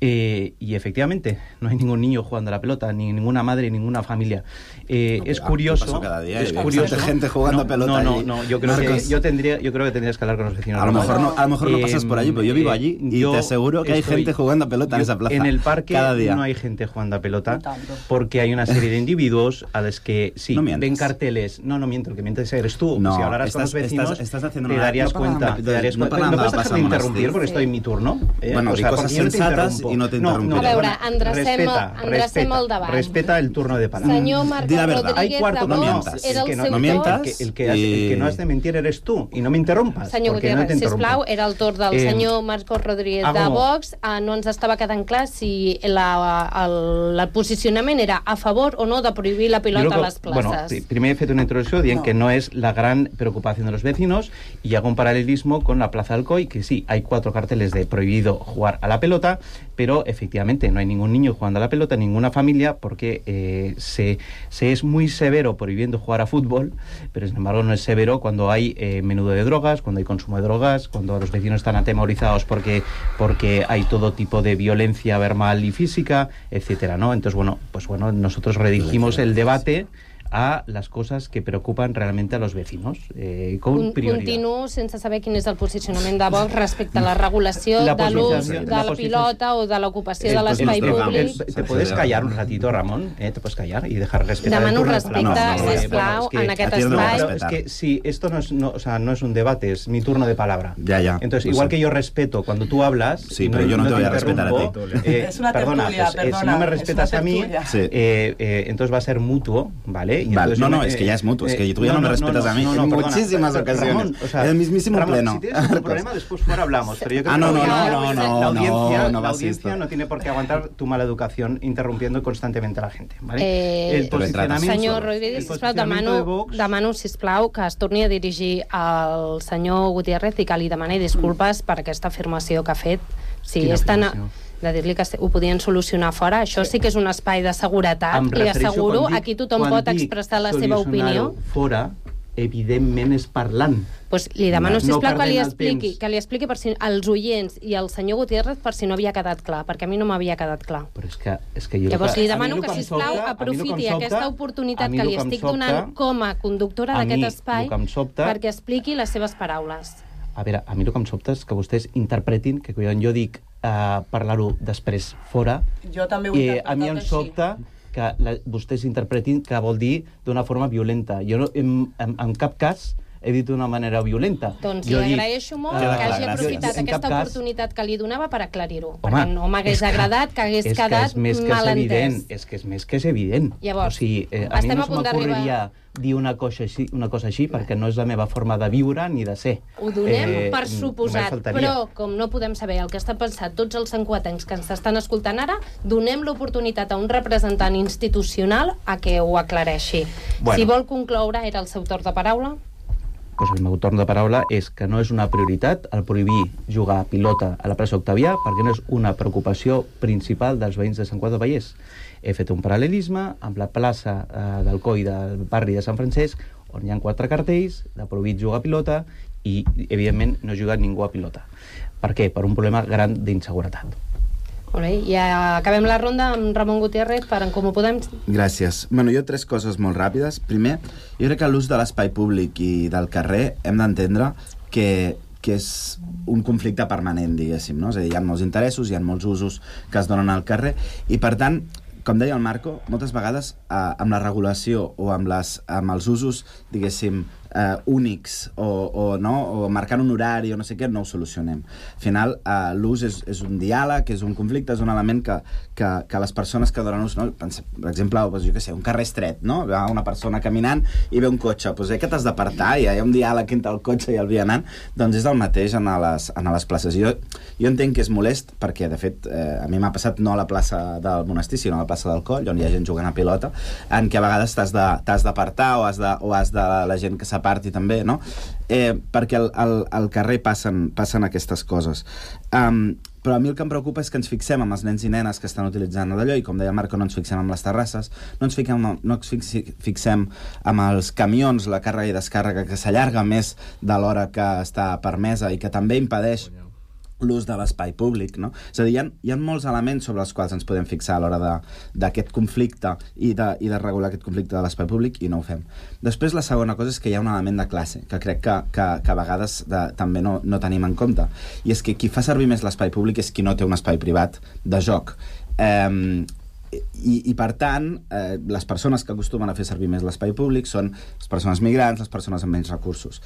Speaker 21: Y efectivamente, no hay ningún niño jugando a la pelota, ni ninguna madre, ni ninguna familia. Es curioso... Cada día, es curioso. gente jugando a pelota. No, yo creo que tendrías que hablar con los vecinos. A lo mejor no pasas por allí, pero yo vivo allí y te aseguro que hay gente jugando a pelota en esa plaza. En el parque cada día. No hay gente jugando a pelota porque hay una serie de individuos a los que sí, ven carteles. No miento, el que mientes eres tú. Si hablaras con los vecinos, te darías cuenta. No puedes dejar de interrumpir porque estoy en mi turno. Bueno, cosas sensatas y no te interrumpiré.
Speaker 14: A veure, endrecem el debat.
Speaker 21: Respeta el turno de palabra.
Speaker 14: Senyor Marcos Rodríguez de Vox era el seu torn.
Speaker 21: El que no has de mentir eres tú y no me interrumpas.
Speaker 14: Senyor Gutiérrez, sisplau, era el torn del senyor Marcos Rodríguez de Vox. No ens estava quedant clar si el posicionament era a favor o no de prohibir la pilota a les places.
Speaker 21: Bueno, primer he fet una introducció dient que no es la gran preocupación de los vecinos y hago un paralelismo con la Plaza del Coll, que sí, hay 4 carteles de prohibido jugar a la pelota, pero efectivamente no hay ningún niño jugando a la pelota, ninguna familia, porque se es muy severo prohibiendo jugar a fútbol, pero sin embargo no es severo cuando hay menudo de drogas, cuando hay consumo de drogas, cuando los vecinos están atemorizados porque hay todo tipo de violencia verbal y física, etcétera, ¿no? Entonces, bueno, nosotros redirigimos el debate a las cosas que preocupan realmente a los vecinos, con prioridad.
Speaker 14: Continuo sense saber quin és el posicionament de Vox respecte a la regulació de l'ús de la pilota o de l'ocupació de l'espai públic.
Speaker 21: ¿Te puedes callar un ratito, Ramón? ¿Te puedes callar y dejar respetar?
Speaker 14: Demano respecte, sisplau, en aquest espai.
Speaker 21: Es que sí, esto no es un debate, es mi turno de palabra. Ya. Entonces, igual que yo respeto cuando tú hablas...
Speaker 2: Sí, pero yo no te voy a respetar a ti.
Speaker 21: Es una tertulia, perdona. Si no me respetas a mí, entonces va a ser mutuo, ¿vale?
Speaker 2: Vale, es que ya es mutuo, es que tú ya no me respetas a mí en muchísimas ocasiones.
Speaker 21: Ramón,
Speaker 2: el mismísimo
Speaker 21: Ramón,
Speaker 2: pleno.
Speaker 21: Si tienes algún problema, después fuera hablamos. Pero yo creo que la audiencia no tiene por qué aguantar tu mala educación interrumpiendo constantemente a la gente. ¿vale?
Speaker 14: El senyor Rodríguez, sisplau, demano, sisplau, que es torni a dirigir al senyor Gutiérrez i que li demani disculpes per aquesta afirmació que ha fet. Si és tan... de dir-li que ho podien solucionar fora. Això sí que és un espai de seguretat. Li asseguro, aquí tothom pot expressar la seva opinió.
Speaker 21: Fora, evidentment és parlant.
Speaker 14: Pues li demano, sisplau, que li expliqui per si, als oients i al senyor Gutiérrez per si no havia quedat clar, perquè a mi no m'havia quedat clar.
Speaker 21: Però és que jo...
Speaker 14: Llavors li demano que, sisplau, aprofiti aquesta oportunitat que li estic donant com a conductora d'aquest espai perquè expliqui les seves paraules.
Speaker 21: A veure, a mi el que em sobta és que vostès interpretin que quan jo dic parlar-ho després fora,
Speaker 3: jo també ho he interpretat
Speaker 21: a mi em sobta que vostès interpretin que vol dir d'una forma violenta. Jo en cap cas he dit d'una manera violenta.
Speaker 14: Doncs li agraeixo molt que hagi aprofitat aquesta oportunitat que li donava per aclarir-ho, perquè no m'hagués agradat que hagués quedat malentès.
Speaker 21: És que és més que és evident.
Speaker 14: Llavors,
Speaker 21: a mi no m'ocorreria dir una cosa així perquè no és la meva forma de viure ni de ser.
Speaker 14: Ho donem per suposat, però com no podem saber el que està pensant tots els santcugatencs que ens estan escoltant ara, donem l'oportunitat a un representant institucional a que ho aclareixi. Si vol concloure, era el seu torn de paraula.
Speaker 21: el meu torn de paraula és que no és una prioritat el prohibir jugar a pilota a la plaça Octavià perquè no és una preocupació principal dels veïns de Sant Cugat del Vallès. He fet un paral·lelisme amb la plaça del Coi del barri de Sant Francesc, on hi ha 4 cartells de prohibit jugar a pilota i, evidentment, no juga ningú a pilota. Per què? Per un problema gran d'inseguretat.
Speaker 14: Molt bé, i acabem la ronda amb Ramon Gutiérrez per En Comú Podem.
Speaker 2: Gràcies. Bueno, jo 3 coses molt ràpides. Primer, jo crec que l'ús de l'espai públic i del carrer hem d'entendre que és un conflicte permanent, diguéssim, no? És a dir, hi ha molts interessos, hi ha molts usos que es donen al carrer i, per tant, com deia el Marco, moltes vegades amb la regulació o amb els usos, diguéssim, únics o marcant un horari o no sé què, no ho solucionem. Al final, l'ús és un diàleg, és un conflicte, és un element que les persones que donen ús, no? Per exemple, jo què sé, un carrer estret, no? Va una persona caminant i ve un cotxe, doncs que t'has d'apartar, hi ha un diàleg entre el cotxe i el vianant, doncs és el mateix a les places. Jo entenc que és molest perquè, de fet, a mi m'ha passat no a la plaça del Monestir, sinó a la plaça del Coll, on hi ha gent jugant a pilota, en què a vegades t'has d'apartar o has de la gent que s'aparti també, no? Perquè al carrer passen aquestes coses. Però a mi el que em preocupa és que ens fixem amb els nens i nenes que estan utilitzant d'allò, i com deia el Marco, no ens fixem amb les terrasses, no ens fixem amb els camions, la càrrega i descàrrega, que s'allarga més de l'hora que està permesa i que també impedeix l'ús de l'espai públic, no? És a dir, hi ha molts elements sobre els quals ens podem fixar a l'hora d'aquest conflicte i de regular aquest conflicte de l'espai públic, i no ho fem. Després, la segona cosa és que hi ha un element de classe, que crec que a vegades també no tenim en compte, i és que qui fa servir més l'espai públic és qui no té un espai privat de joc. I per tant, les persones que acostumen a fer servir més l'espai públic són les persones migrants, les persones amb menys recursos.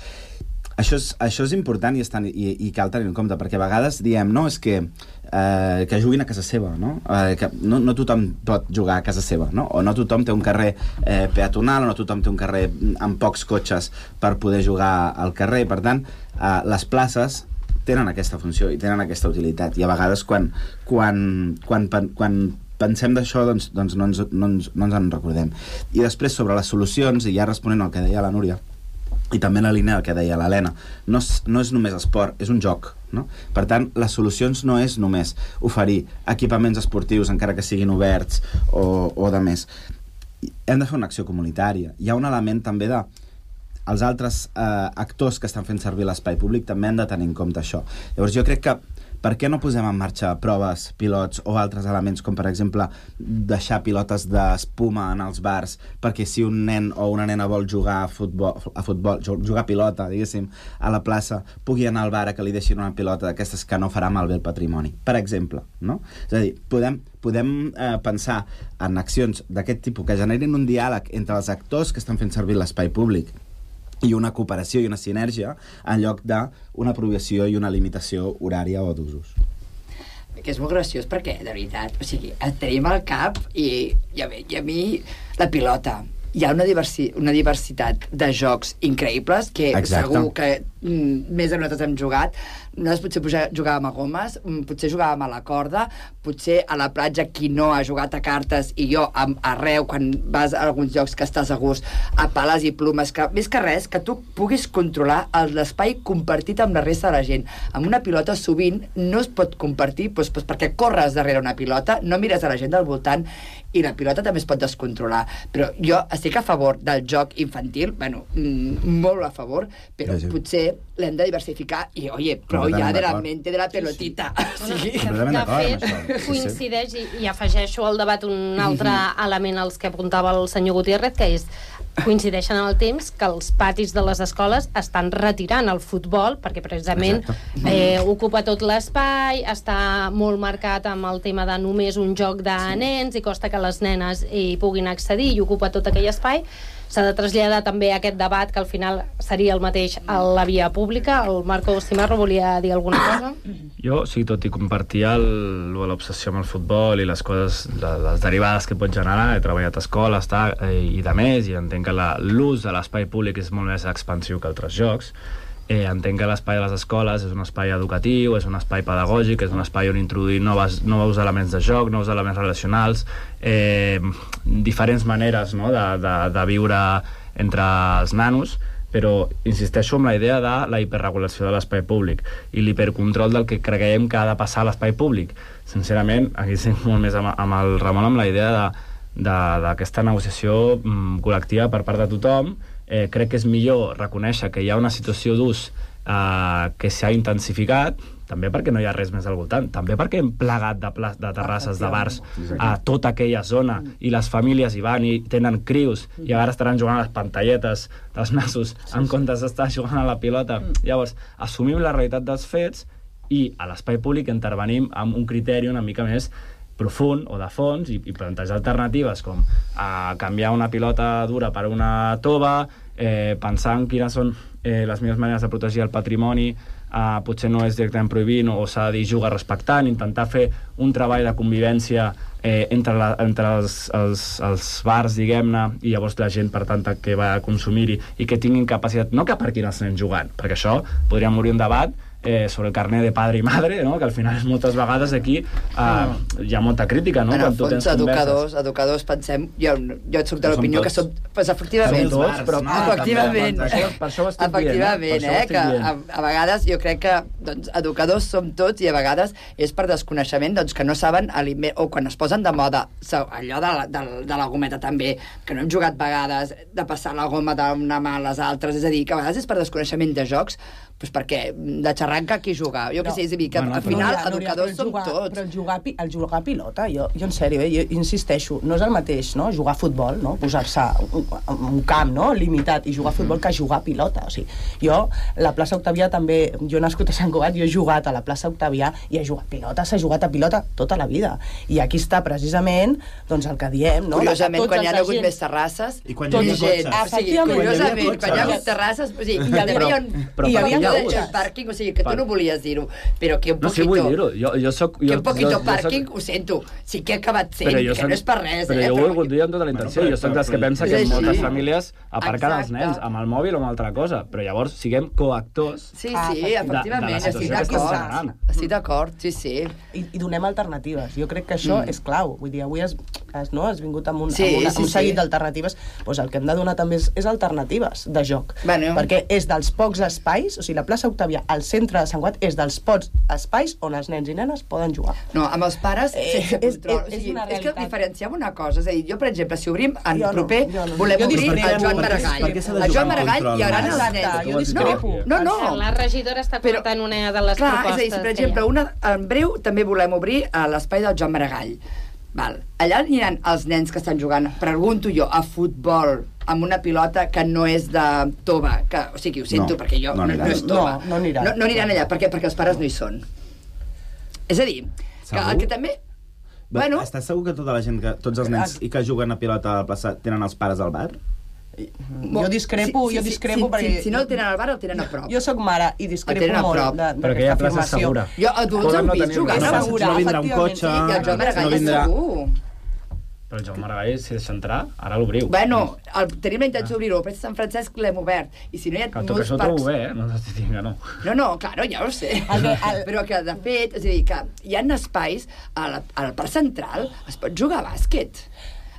Speaker 2: Això és important i cal tenir en compte, perquè a vegades diem, no, és que juguin a casa seva, no? Que no tothom pot jugar a casa seva, no? O no tothom té un carrer peatonal, o no tothom té un carrer amb pocs cotxes per poder jugar al carrer. Per tant, les places tenen aquesta funció i tenen aquesta utilitat, i a vegades quan pensem d'això, doncs no ens en recordem. I després, sobre les solucions, i ja responent al que deia la Núria, i també la línia que deia l'Helena, no és només esport, és un joc, no? Per tant, les solucions no és només oferir equipaments esportius, encara que siguin oberts o de més. Hem de fer una acció comunitària. Hi ha un element també de els altres actors que estan fent servir l'espai públic també han de tenir en compte això. Llavors jo crec que per què no posem en marxa proves, pilots o altres elements, com per exemple deixar pilotes d'espuma en els bars, perquè si un nen o una nena vol jugar a futbol, jugar a pilota, diguéssim, a la plaça, pugui anar al bar a que li deixin una pilota d'aquestes que no farà malbé el patrimoni, per exemple, no? És a dir, podem pensar en accions d'aquest tipus que generin un diàleg entre els actors que estan fent servir l'espai públic i una cooperació i una sinergia en lloc d'una prohibició i una limitació horària o d'usos.
Speaker 20: Que és molt graciós perquè, de veritat, o sigui, et tenim al cap i a mi la pilota. Hi ha una diversitat de jocs increïbles que segur que més de nosaltres hem jugat. Nosaltres potser jugàvem a gomes, potser jugàvem a la corda, potser a la platja qui no ha jugat a cartes, i jo arreu, quan vas a alguns llocs que estàs a gust, a pales i plumes, que més que res, que tu puguis controlar l'espai compartit amb la resta de la gent. Amb una pilota sovint no es pot compartir perquè corres darrere una pilota, no mires a la gent del voltant, i la pilota també es pot descontrolar. Però jo estic a favor del joc infantil, molt a favor, però potser l'hem de diversificar i, però ja de la mente de la pelotita.
Speaker 14: De fet, coincideix i afegeixo al debat un altre element als que apuntava el senyor Gutiérrez, que és coincideixen en el temps que els patis de les escoles estan retirant el futbol perquè precisament ocupa tot l'espai, està molt marcat amb el tema de només un joc de nens i costa que les nenes hi puguin accedir i ocupa tot aquell espai. S'ha de traslladar també aquest debat que al final seria el mateix a la via pública. El Marco Cimarro volia dir alguna cosa?
Speaker 23: Jo, sí, tot i compartir l'obsessió amb el futbol i les coses, les derivades que pot generar, he treballat a escoles i de més, i entenc que l'ús de l'espai públic és molt més expansiu que altres jocs. Entenc que l'espai de les escoles és un espai educatiu, és un espai pedagògic, és un espai on introduir nous elements de joc, nous elements relacionals, diferents maneres de viure entre els nanos, però insisteixo en la idea de la hiperregulació de l'espai públic i l'hipercontrol del que creiem que ha de passar a l'espai públic. Sincerament, aquí estic molt més amb el Ramon amb la idea d'aquesta negociació col·lectiva per part de tothom. Crec que és millor reconèixer que hi ha una situació d'ús que s'ha intensificat, també perquè no hi ha res més al voltant, també perquè hem plegat de terrasses, de bars a tota aquella zona i les famílies hi van i tenen crius i ara estaran jugant a les pantalletes dels nassos en comptes d'estar jugant a la pilota. Llavors, assumim la realitat dels fets i a l'espai públic intervenim amb un criteri una mica més profund o de fons i plantejar alternatives com canviar una pilota dura per una tova, pensar en quines són les millors maneres de protegir el patrimoni, potser no és directament prohibint o s'ha de dir jugar respectant, intentar fer un treball de convivència entre els bars, diguem-ne, i llavors la gent, per tant, que va a consumir-hi i que tinguin capacitat, no que aparquin els nens jugant, perquè això podríem obrir un debat sobre el carnet de padre i madre, no? Que al final moltes vegades aquí hi ha molta crítica, no?
Speaker 20: En el fons, educadors, pensem, jo et soc de l'opinió que som, pues, efectivament, que a vegades jo crec que educadors som tots i a vegades és per desconeixement que no saben o quan es posen de moda allò de la gometa també, que no hem jugat vegades de passar la goma d'una mà a les altres, és a dir, que a vegades és per desconeixement de jocs, doncs perquè de xarranca qui juga? Jo què sé, és a dir, que al final educadors som tots.
Speaker 3: Però el jugar a pilota, jo en sèrio, jo insisteixo, no és el mateix, no? Jugar a futbol, no? Posar-se un camp, no? Limitat, i jugar a futbol que jugar a pilota. O sigui, jo, la plaça Octavià també, jo nascut a Sant Cugat, jo he jugat a la plaça Octavià i he jugat a pilota, s'ha jugat a pilota tota la vida. I aquí està precisament, doncs, el que diem, no?
Speaker 20: Curiosament, quan hi ha hagut més terrasses,
Speaker 2: i quan hi havia cotxes.
Speaker 20: Curiosament, quan hi ha hagut terrasses, o sigui, hi havia el pàrquing, o sigui, que tu no volies dir-ho, però que un poquito...
Speaker 23: No, sí, vull dir-ho. Que
Speaker 20: un poquito pàrquing, ho sento, sí que he acabat sent, que no és per res.
Speaker 23: Però jo ho he volgut dir amb tota la intenció. Jo soc dels que pensa que moltes famílies aparquen els nens amb el mòbil o amb altra cosa, però llavors siguem coactors
Speaker 20: de la situació que està generant. Estic d'acord, sí.
Speaker 3: I donem alternatives. Jo crec que això és clau. Vull dir, avui has vingut amb un seguit d'alternatives. Doncs el que hem de donar també és alternatives de joc. Perquè és dels pocs espais, o sigui, la plaça Octavià, al centre de Sant Cugat, és dels pocs espais on els nens i nenes poden jugar.
Speaker 20: No, amb els pares sense control. És que diferenciem una cosa. És a dir, jo, per exemple, si obrim en proper, volem obrir el Joan Maragall. El Joan Maragall hi haurà els nens.
Speaker 3: Jo discrepo.
Speaker 20: No.
Speaker 14: La regidora està comentant una de les propostes.
Speaker 20: És a dir, per exemple, en breu també volem obrir l'espai del Joan Maragall. Allà aniran els nens que estan jugant, pregunto jo, a futbol amb una pilota que no és de tova, o sigui, ho sento, perquè jo no és tova. No aniran allà, perquè els pares no hi són. És a dir, que també...
Speaker 2: Estàs segur que tota la gent, tots els nens i que juguen a pilota a la plaça tenen els pares al bar?
Speaker 3: Jo discrepo perquè...
Speaker 20: Si no el tenen al bar, el tenen a prop.
Speaker 3: Jo sóc mare i discrepo molt
Speaker 23: d'aquesta afirmació.
Speaker 20: Jo adults hem vist jugar
Speaker 2: no vindrà un cotxe,
Speaker 20: i el Joan Maragall és segur.
Speaker 23: Però el Joan Maragall, si deixa entrar, ara l'obriu.
Speaker 20: Tenim la intenció d'obrir-ho, però a Sant Francesc l'hem obert. I si no hi ha molts parcs...
Speaker 23: Que ho trobo bé, no t'estic dient que no.
Speaker 20: No, claro, ja ho sé. Però que, de fet, és a dir, que hi ha espais, al Parc Central es pot jugar a bàsquet.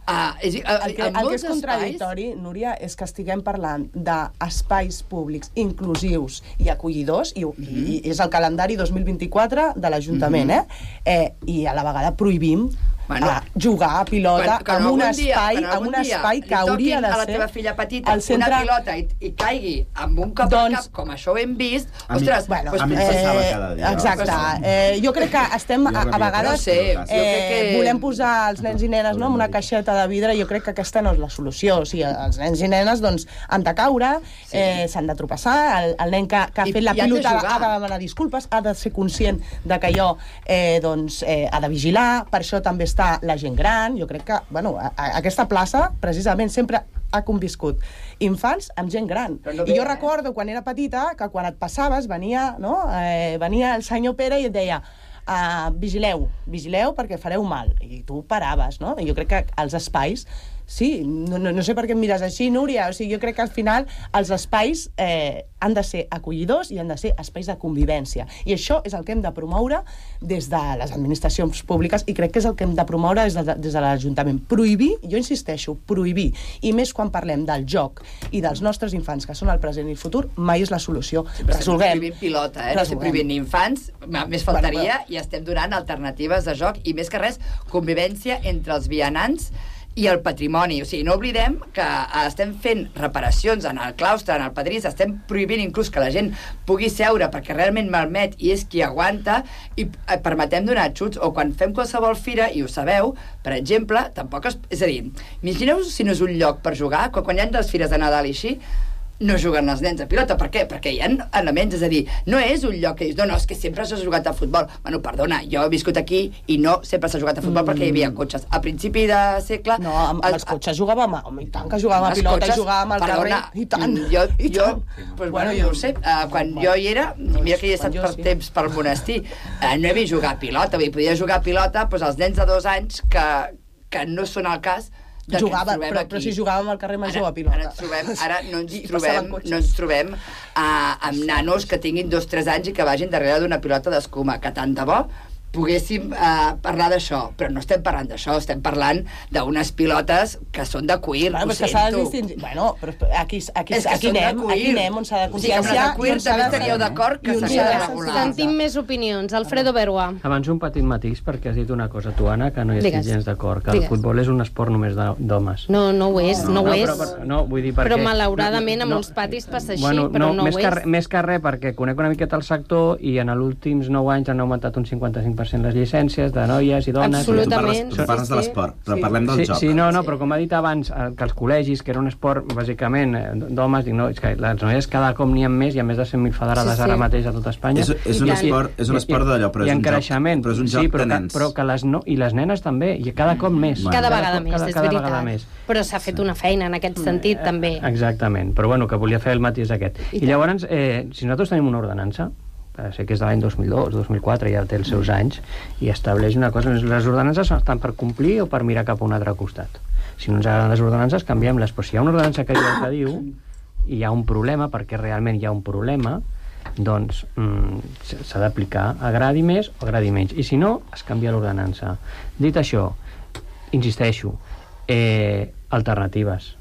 Speaker 3: El que és contradictori, Núria, és que estiguem parlant d'espais públics inclusius i acollidors, i és el calendari 2024 de l'Ajuntament, i a la vegada prohibim jugar a pilota en un espai que hauria de ser...
Speaker 20: a la teva filla petita una pilota i caigui amb un cop al cap, com això ho hem vist, ostres...
Speaker 3: Exacte. Jo crec que estem, a vegades, volem posar els nens i nenes en una caixeta de vidre, jo crec que aquesta no és la solució. O sigui, els nens i nenes han de caure, s'han de tropeçar, el nen que ha fet la pilota ha de demanar disculpes, ha de ser conscient que allò ha de vigilar, per això també està la gent gran. Jo crec que aquesta plaça precisament sempre ha conviscut infants amb gent gran. I jo recordo quan era petita que quan et passaves venia el senyor Pere i et deia vigileu perquè fareu mal, i tu paraves, no? I jo crec que els espais Sí, no sé per què em mires així, Núria. O sigui, jo crec que al final els espais han de ser acollidors i han de ser espais de convivència. I això és el que hem de promoure des de les administracions públiques i crec que és el que hem de promoure des de l'Ajuntament. Prohibir, jo insisteixo, prohibir. I més quan parlem del joc i dels nostres infants, que són el present i el futur, mai és la solució. Resolguem.
Speaker 20: Estem prohibint pilota, no estem prohibint infants, més faltaria, i estem donant alternatives de joc i més que res, convivència entre els vianants i el patrimoni. O sigui, no oblidem que estem fent reparacions en el claustre, en el pedrís, estem prohibint inclús que la gent pugui seure perquè realment malmet i és qui aguanta i permetem donar xuts, o quan fem qualsevol fira, i ho sabeu, per exemple, tampoc és a dir, imagineu si no és un lloc per jugar, quan hi ha les fires de Nadal i així, no juguen els nens a pilota. Per què? Perquè hi ha elements, és a dir, no és un lloc que dius, no, és que sempre s'ha jugat a futbol. Bueno, perdona, jo he viscut aquí i no sempre s'ha jugat a futbol perquè hi havia cotxes. A principi de segle...
Speaker 3: No, amb els cotxes jugàvem, i tant que jugàvem a pilota i jugàvem al carrer, i tant.
Speaker 20: Jo, bueno, jo ho sé, quan jo hi era, mira que hi he estat per temps pel monestir, no he vist jugar a pilota, podia jugar a pilota els nens de 2 anys que no són el cas.
Speaker 3: Jugava, però si jugàvem al carrer Major a pilota.
Speaker 20: Ara no ens trobem amb nanos que tinguin 2-3 anys i que vagin darrere d'una pilota d'escuma, que tant de bo poguéssim parlar d'això, però no estem parlant d'això, estem parlant d'unes pilotes que són de cuir, ho sento.
Speaker 3: Bueno, però aquí anem on s'ha de conscienciar.
Speaker 20: O sigui, que amb el cuir també estaríeu d'acord que s'ha de regular.
Speaker 14: Sentim més opinions. Alfredo Berua.
Speaker 22: Abans un petit matís, perquè has dit una cosa, tu, Anna, que no hi estic gens d'acord, que el futbol és un esport només d'homes.
Speaker 14: No ho és, no ho és.
Speaker 22: No, vull dir perquè...
Speaker 14: Però malauradament a molts patis passa així, però no ho és.
Speaker 22: Més que res, perquè conec una miqueta el sector i en els últims 9 anys han augmentat un 55% les llicències de noies i dones.
Speaker 14: Absolutament.
Speaker 2: Tu parles de l'esport, però parlem del joc.
Speaker 22: Sí, no, però com ha dit abans, que els col·legis, que era un esport, bàsicament, d'homes, dic, no, és que les noies cada cop n'hi ha més, hi ha més de 100.000 federades ara mateix a tot Espanya.
Speaker 2: És un esport d'allò, però és un joc de nens.
Speaker 22: Però que les nenes també, i cada cop més.
Speaker 14: Cada vegada més, és veritat. Però s'ha fet una feina en aquest sentit, també.
Speaker 22: Exactament, però bueno, que volia fer el matís aquest. I llavors, si nosaltres tenim una ordenança, sé que és de l'any 2002, 2004, ja té els seus anys, i estableix una cosa. Les ordenances estan per complir o per mirar cap a un altre costat. Si no ens agraden les ordenances, canviem-les. Però si hi ha una ordenança que diu el que diu, i hi ha un problema, perquè realment hi ha un problema, doncs s'ha d'aplicar, agradi més o agradi menys. I si no, es canvia l'ordenança. Dit això, insisteixo, alternatives.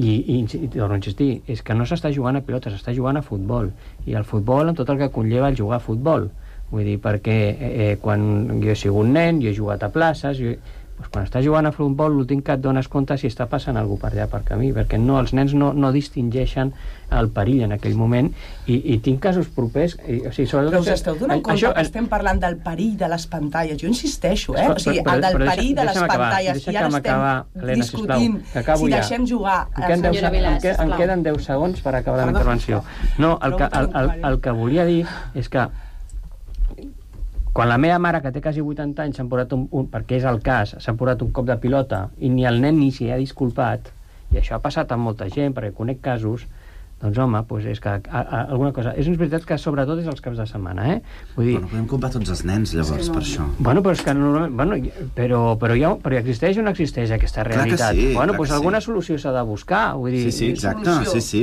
Speaker 22: I torno a insistir, és que no s'està jugant a pilota, s'està jugant a futbol, i el futbol amb tot el que conlleva el jugar a futbol. Vull dir, perquè quan jo he sigut nen, jo he jugat a places, quan estàs jugant a futbol l'últim que et dones compte si està passant alguna per allà per camí, perquè els nens no distingeixen el perill en aquell moment, i tinc casos propers.
Speaker 3: Però us esteu donant compte que estem parlant del perill de les pantalles? Jo insisteixo, o sigui, el del perill de les pantalles, i ara estem discutint si deixem jugar.
Speaker 22: Em queden 10 segons per acabar la meva intervenció. No, el que volia dir és que quan la meva mare, que té quasi 80 anys, s'ha posat perquè és el cas, s'ha posat un cop de pilota i ni el nen ni s'hi ha disculpat, i això ha passat amb molta gent, perquè conec casos, doncs home, és que alguna cosa... És veritat que sobretot és els caps de setmana, Vull dir...
Speaker 2: Podem culpar tots els nens, llavors, per això.
Speaker 22: Bueno, però és que normalment... Però existeix o no existeix aquesta realitat? Bueno, doncs alguna solució s'ha de buscar, vull dir...
Speaker 2: Sí, exacte, sí.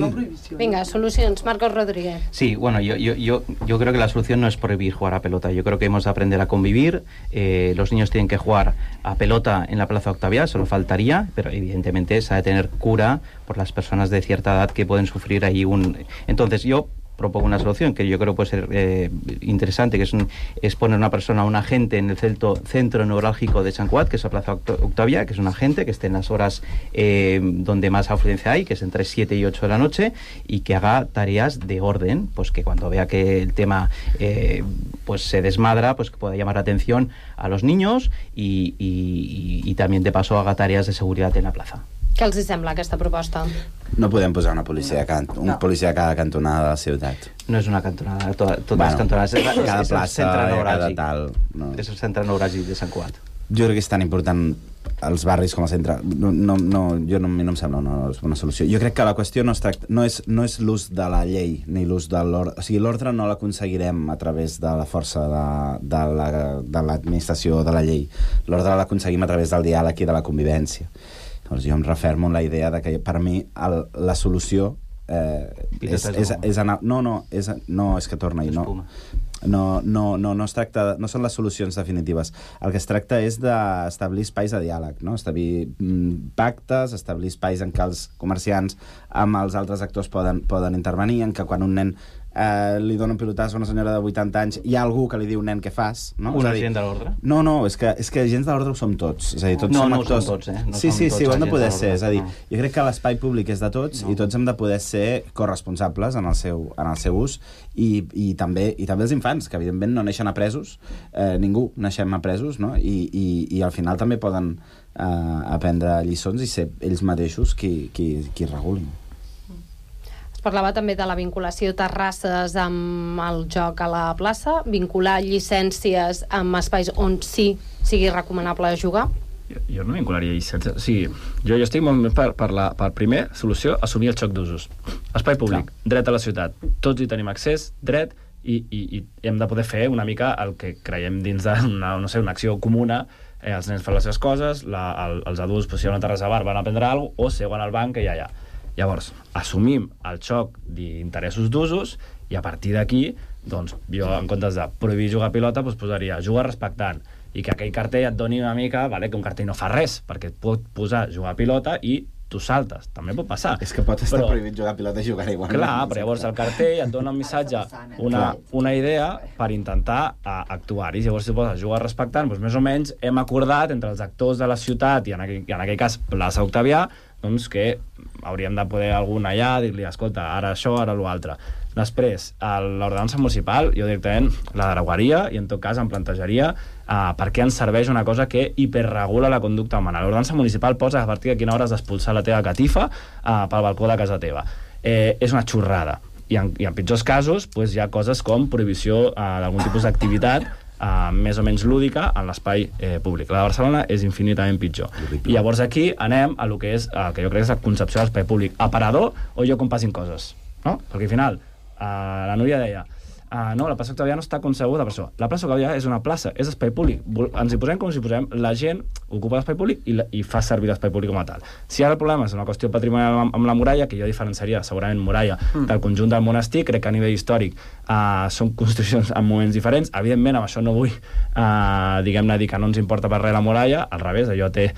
Speaker 14: Venga, solucions. Marcos Rodríguez.
Speaker 21: Sí, bueno, yo creo que la solución no es prohibir jugar a pelota. Yo creo que hemos de aprender a convivir. Los niños tienen que jugar a pelota en la Plaza Octavia, solo faltaría, pero evidentemente se ha de tener cura por las personas de cierta edad que pueden sufrir ahí Entonces yo propongo una solución que yo creo puede ser interesante, que es poner una persona, un agente en el centro neurálgico de Sant Cugat, que es la Plaza Octavia, que es un agente que esté en las horas donde más afluencia hay, que es entre 7 y 8 de la noche, y que haga tareas de orden, pues que cuando vea que el tema pues se desmadra, pues que pueda llamar la atención a los niños y también de paso haga tareas de seguridad en la plaza.
Speaker 14: Què els sembla aquesta proposta?
Speaker 2: No podem posar una policia a cada cantonada de la ciutat.
Speaker 21: No és una cantonada, totes les cantonades.
Speaker 2: Cada plaça, cada tal.
Speaker 21: És el centre neuràgic de Sant Cugat.
Speaker 2: Jo crec que és tan important els barris com a centre. A mi no em sembla una solució. Jo crec que la qüestió no és l'ús de la llei ni l'ús de l'ordre. O sigui, l'ordre no l'aconseguirem a través de la força de l'administració de la llei. L'ordre l'aconseguim a través del diàleg i de la convivència. Llavors jo em refermo en la idea de que per mi la solució és anar... No, és que torna i no es tracta, no són les solucions definitives. El que es tracta és d'establir espais de diàleg, no? Establir pactes, establir espais en què els comerciants amb els altres actors poden intervenir, en què quan un nen li dona un pilotàs a una senyora de 80 anys, hi ha algú que li diu, nen, què fas? No?
Speaker 21: Un agent de l'ordre?
Speaker 2: No, és que agents de l'ordre ho som tots. És a dir, tots som actors.
Speaker 21: No ho som tots,
Speaker 2: Sí, ho hem de poder ser. És a dir, jo crec que l'espai públic és de tots i tots hem de poder ser corresponsables en el seu ús i també els infants, que evidentment no neixen apresos, ningú naixem apresos, no? I al final també poden aprendre lliçons i ser ells mateixos qui regulin.
Speaker 14: Es parlava també de la vinculació Terrasses amb el joc a la plaça, vincular llicències amb espais on sí sigui recomanable jugar?
Speaker 23: Jo no vincularia llicències. O sigui, jo estic molt més per primer solució, assumir el xoc d'usos. Espai públic, dret a la ciutat. Tots hi tenim accés, dret, i hem de poder fer una mica el que creiem dins d'una acció comuna. Els nens fan les seves coses, els adults, si hi ha una terrassa bar, van a prendre alguna cosa, o seuen al banc, que ja hi ha. Llavors, assumim el xoc d'interessos d'usos i a partir d'aquí, doncs, jo en comptes de prohibir jugar a pilota, posaria jugar respectant i que aquell cartell et doni una mica, que un cartell no fa res, perquè et pot posar jugar a pilota i tu saltes, també pot passar.
Speaker 2: És que pot estar prohibit jugar a pilota i jugar igual.
Speaker 23: Clar, però llavors el cartell et dona un missatge, una idea per intentar actuar-hi. Llavors, si poses jugar respectant, més o menys hem acordat entre els actors de la ciutat i en aquell cas plaça Octavià, doncs que hauríem de poder algun allà dir-li, escolta, ara això, ara l'altre. Després, l'ordenança municipal, jo directament la derogaria i en tot cas em plantejaria per què ens serveix una cosa que hiperregula la conducta humana. L'ordenança municipal posa a partir de quina hora has d'expulsar la teva catifa pel balcó de casa teva. És una xorrada. I en pitjors casos hi ha coses com prohibició d'algun tipus d'activitat més o menys lúdica en l'espai públic. La de Barcelona és infinitament pitjor. I llavors aquí anem a lo que és el que jo crec és la concepció de l'espai públic. Aparador o lloc on passin coses, no? Perquè al final la Núria deia no, la plaça Octavià no està concebuda per això. La plaça Octavià és una plaça, és espai públic. Ens hi posem com si posem, la gent ocupa l'espai públic i fa servir l'espai públic com a tal. Si ara el problema és una qüestió patrimonial amb la muralla, que jo diferenciaria segurament muralla del conjunt del monestir, crec que a nivell històric són construccions en moments diferents. Evidentment, amb això no vull diguem-ne dir que no ens importa per res la muralla, al revés, allò té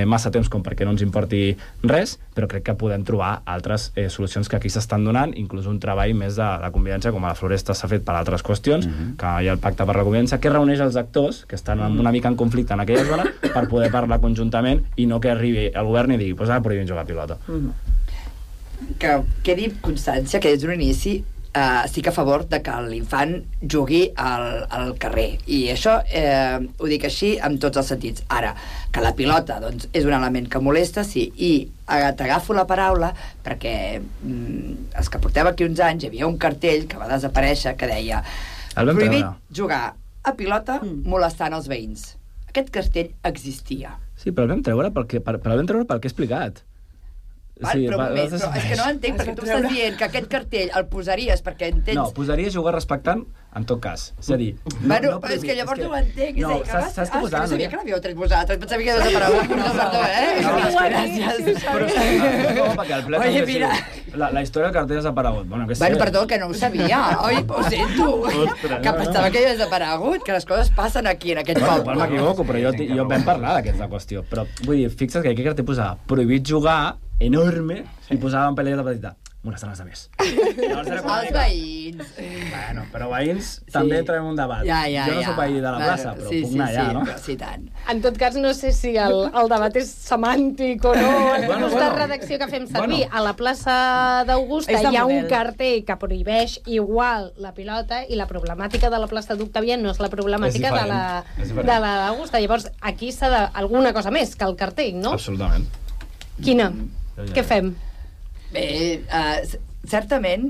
Speaker 23: massa temps com perquè no ens importi res, però crec que podem trobar altres solucions que aquí s'estan donant, inclús un treball més de convivència, com a la Floresta s'ha fet per altres qüestions, que hi ha el pacte per la convivència, que reuneix els actors que estan una mica en conflicte en aquella zona per poder parlar conjuntament i no que arribi el govern i digui, doncs ara prohibim jugar a pilota.
Speaker 20: Que quedi constància que des d'un inici estic a favor de que l'infant jugui al carrer, i això ho dic així en tots els sentits. Ara, que la pilota doncs, és un element que molesta, sí, i t'agafo la paraula perquè els que portem aquí uns anys hi havia un cartell que va desaparèixer que deia prohibit jugar a pilota molestant els veïns. Aquest cartell existia.
Speaker 23: Sí, però el vam treure perquè he explicat.
Speaker 20: Sí, però és que no entenc, perquè tu estàs dient que aquest cartell el posaries perquè entens...
Speaker 23: No, posaria jugar respectant en tot cas. És a dir...
Speaker 20: Bueno, però és que llavors no ho entenc.
Speaker 23: No, saps què posar?
Speaker 20: No sabia que l'havíeu tret vosaltres, pensava que havia desaparegut. Perdó, gràcies.
Speaker 23: No, perquè el ple també sí. La història del cartell ha desaparegut. Bueno,
Speaker 20: perdó, que no ho sabia. Oi, ho sento. Que pensava que havia desaparegut, que les coses passen aquí, en aquest poble.
Speaker 23: Bueno, m'equivoco, però jo vam parlar d'aquesta qüestió. Però vull dir, fixa't que aquí el cartell posava prohibit jugar enorme i posava en pelea de petita molestant els altres.
Speaker 20: Els veïns.
Speaker 23: Bueno, però veïns també entrem en un debat. Jo no soc veí de la plaça, però puc anar allà, no?
Speaker 20: Sí, tant.
Speaker 14: En tot cas, no sé si el debat és semàntic o no. En aquesta redacció que fem servir a la plaça d'Augusta hi ha un cartell que prohibeix igual la pilota i la problemàtica de la plaça d'Octavià no és la problemàtica de la d'Augusta. Llavors, aquí s'ha d'alguna cosa més que el cartell, no?
Speaker 23: Absolutament.
Speaker 14: Quina? Què fem?
Speaker 20: Bé, certament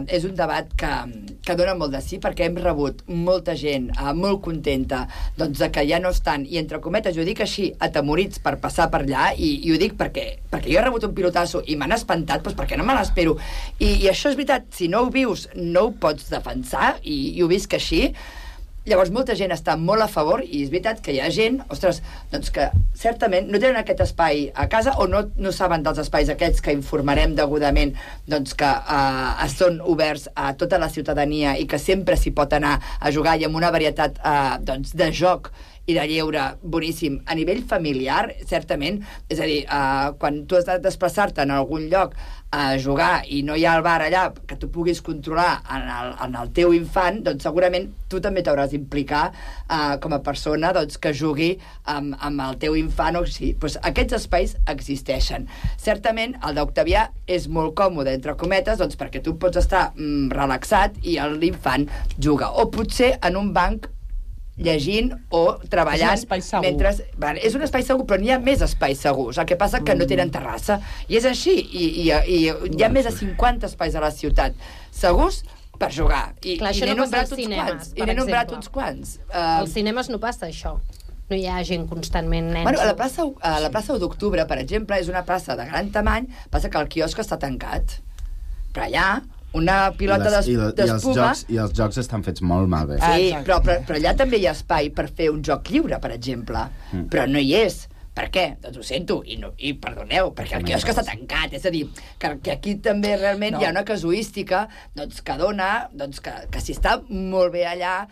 Speaker 20: és un debat que dona molt de sí, perquè hem rebut molta gent molt contenta doncs, que ja no estan, i entre cometes jo dic així, atemorits per passar per allà, i ho dic perquè jo he rebut un pilotasso i m'han espantat, doncs perquè no me l'espero, i això és veritat, si no ho vius no ho pots defensar, i ho visc així. Llavors, molta gent està molt a favor, i és veritat que hi ha gent, ostres, doncs que certament no tenen aquest espai a casa o no saben dels espais aquests que informarem degudament, doncs que són oberts a tota la ciutadania i que sempre s'hi pot anar a jugar i amb una varietat doncs, de joc i de lleure boníssim. A nivell familiar, certament, és a dir, quan tu has de desplaçar-te en algun lloc a jugar i no hi ha el bar allà que tu puguis controlar en el teu infant, doncs segurament tu també t'hauràs d'implicar com a persona doncs, que jugui amb el teu infant. O sigui, doncs aquests espais existeixen. Certament, el d'Octavià és molt còmode, entre cometes, doncs, perquè tu pots estar relaxat i l'infant juga. O potser en un banc llegint o treballant.
Speaker 3: És un espai segur.
Speaker 20: Mentre, és un espai segur, però n'hi ha més espais segurs. El que passa que no tenen terrassa. I és així. I hi ha més de 50 espais a la ciutat segurs per jugar.
Speaker 14: Clar, això no passa als cinemes, per exemple.
Speaker 20: nombrat uns quants.
Speaker 14: Als cinemes no passa això. No hi ha gent constantment nens.
Speaker 20: Bueno, a la plaça 1 d'octubre, per exemple, és una plaça de gran tamany, passa que el quiosc està tancat. Però allà una pilota d'espuma...
Speaker 2: I els jocs estan fets molt malbé.
Speaker 20: Sí, però allà també hi ha espai per fer un joc lliure, per exemple. Però no hi és. Per què? Doncs ho sento, i perdoneu, perquè el quiosc està tancat. És a dir, que aquí també realment hi ha una casuística doncs, que dona que si està molt bé allà,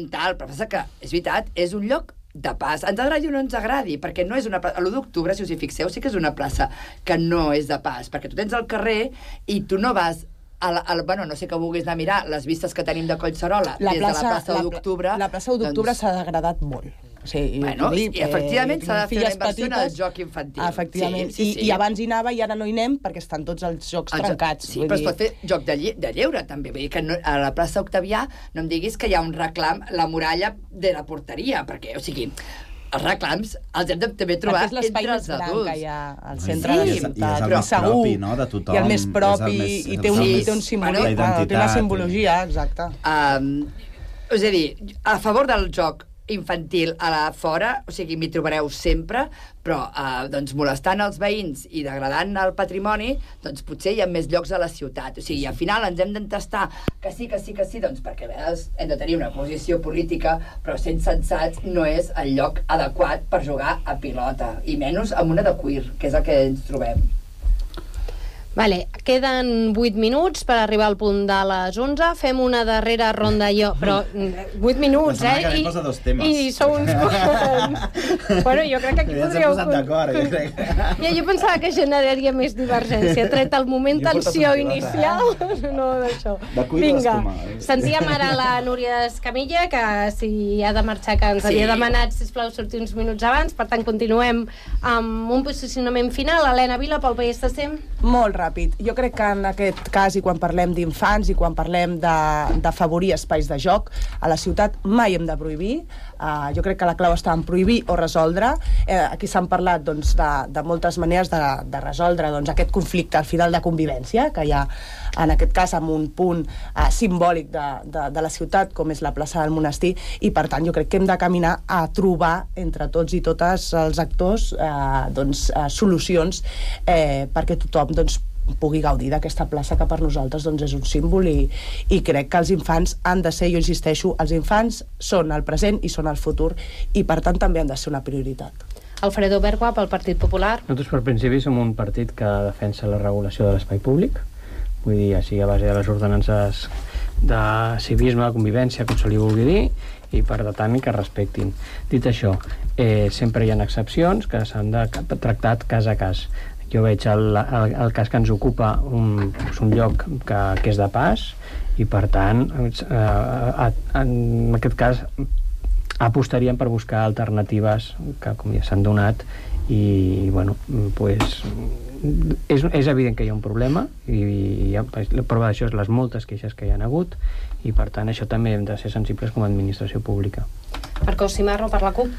Speaker 20: tal, però passa que, és veritat, és un lloc de pas. Ens agradi o no ens agradi, perquè no és una plaça... L'1 d'octubre, si us hi fixeu, sí que és una plaça que no és de pas, perquè tu tens el carrer i tu no vas... bueno, no sé que vulguis anar a mirar les vistes que tenim de Collserola des de la plaça 1 d'octubre.
Speaker 3: La plaça 1 d'octubre s'ha degradat molt. Sí,
Speaker 20: bueno, i efectivament s'ha de fer una inversió en el joc infantil.
Speaker 3: Efectivament, i abans hi anava i ara no hi anem perquè estan tots els jocs trencats.
Speaker 20: Sí, però es pot fer joc de lleure també, vull dir que a la plaça Octavià no em diguis que hi ha un reclam, la muralla de la porteria, perquè, o sigui, els reclams els hem de també trobar entre els adults.
Speaker 3: Que hi ha al centre de la ciutat, però segur, i el més propi, i té un simbolisme, té una simbologia, exacte.
Speaker 20: És a dir, a favor del joc infantil a la fora, o sigui, m'hi trobareu sempre, però doncs molestant els veïns i degradant el patrimoni, doncs potser hi ha més llocs a la ciutat. O sigui, al final ens hem d'entestar que sí, doncs perquè a vegades hem de tenir una posició política, però sent sensats no és el lloc adequat per jugar a pilota, i menys amb una de cuir, que és el que ens trobem.
Speaker 14: Vale, queden 8 minuts per arribar al punt de les 11. Fem una darrera ronda però 8 minuts, I sou uns... Bueno, jo crec que aquí podríeu... Jo pensava que generaria més divergència. Tret el moment tensió inicial, no d'això. Vinga, sentíem ara la Núria Escamilla, que si ha de marxar, que ens havia demanat, sisplau, sortir uns minuts abans. Per tant, continuem amb un posicionament final. Helena Vila, pel PSC.
Speaker 3: Molt ràpid. Jo crec que en aquest cas, i quan parlem d'infants i quan parlem d'afavorir espais de joc, a la ciutat mai hem de prohibir. Jo crec que la clau està en prohibir o resoldre. Aquí s'han parlat de moltes maneres de resoldre aquest conflicte al final de convivència, que hi ha en aquest cas amb un punt simbòlic de la ciutat, com és la plaça del Monestir, i per tant jo crec que hem de caminar a trobar entre tots i totes els actors solucions perquè tothom pugui gaudir d'aquesta plaça que per nosaltres és un símbol i crec que els infants han de ser, jo insisteixo, els infants són el present i són el futur i per tant també han de ser una prioritat.
Speaker 14: Alfredo Bergua, pel Partit Popular.
Speaker 22: Nosaltres per principi som un partit que defensa la regulació de l'espai públic, vull dir, així a base de les ordenances de civisme, de convivència, com se li vulgui dir, i per tant que respectin. Dit això, sempre hi ha excepcions que s'han de tractar cas a cas. Jo veig el cas que ens ocupa un lloc que és de pas i per tant en aquest cas apostaríem per buscar alternatives que com ja s'han donat i bueno, pues és evident que hi ha un problema i la prova d'això és les moltes queixes que hi ha hagut i per tant això també hem de ser sensibles com a administració pública.
Speaker 14: Marcó Cimarro, per la CUP.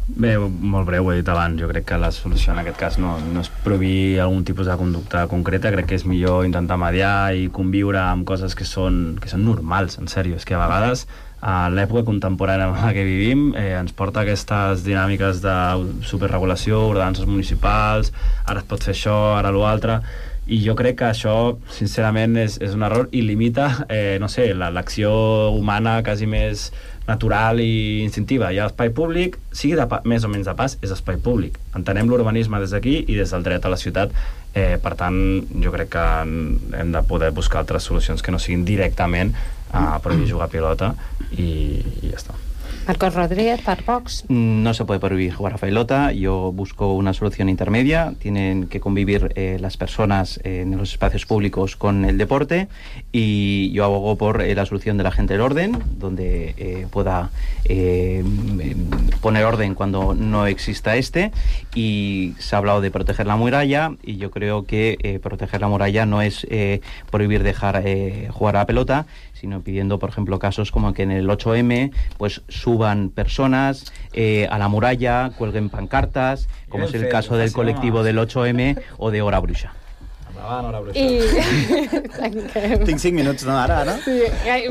Speaker 23: Bé, molt breu, ho he dit abans. Jo crec que la solució en aquest cas no és prohibir algun tipus de conducta concreta. Crec que és millor intentar mediar i conviure amb coses que són normals, en sèrio. És que a vegades a l'època contemporània en la que vivim ens porta aquestes dinàmiques de superregulació, ordenances municipals, ara es pot fer això, ara l'altre, I jo crec que això, sincerament, és un error i limita, no sé, l'acció humana quasi més natural i instintiva. Hi ha espai públic, sigui més o menys de pas, és espai públic. Entenem l'urbanisme des d'aquí i des del dret a la ciutat. Per tant, jo crec que hem de poder buscar altres solucions que no siguin directament a prohibir jugar a pilota i ja està.
Speaker 14: Marcos Rodríguez, para Vox.
Speaker 21: No se puede prohibir jugar a pelota. Yo busco una solución intermedia. Tienen que convivir las personas en los espacios públicos con el deporte, y yo abogo por la solución de la gente del orden, donde pueda poner orden cuando no exista y se ha hablado de proteger la muralla, y yo creo que proteger la muralla no es prohibir dejar jugar a la pelota, sino pidiendo, por ejemplo, casos como que en el 8M pues suban personas a la muralla, cuelguen pancartas, como es el caso del colectivo del 8M o de Hora Bruixa.
Speaker 2: Tinc 5 minuts, no, ara?
Speaker 14: Sí,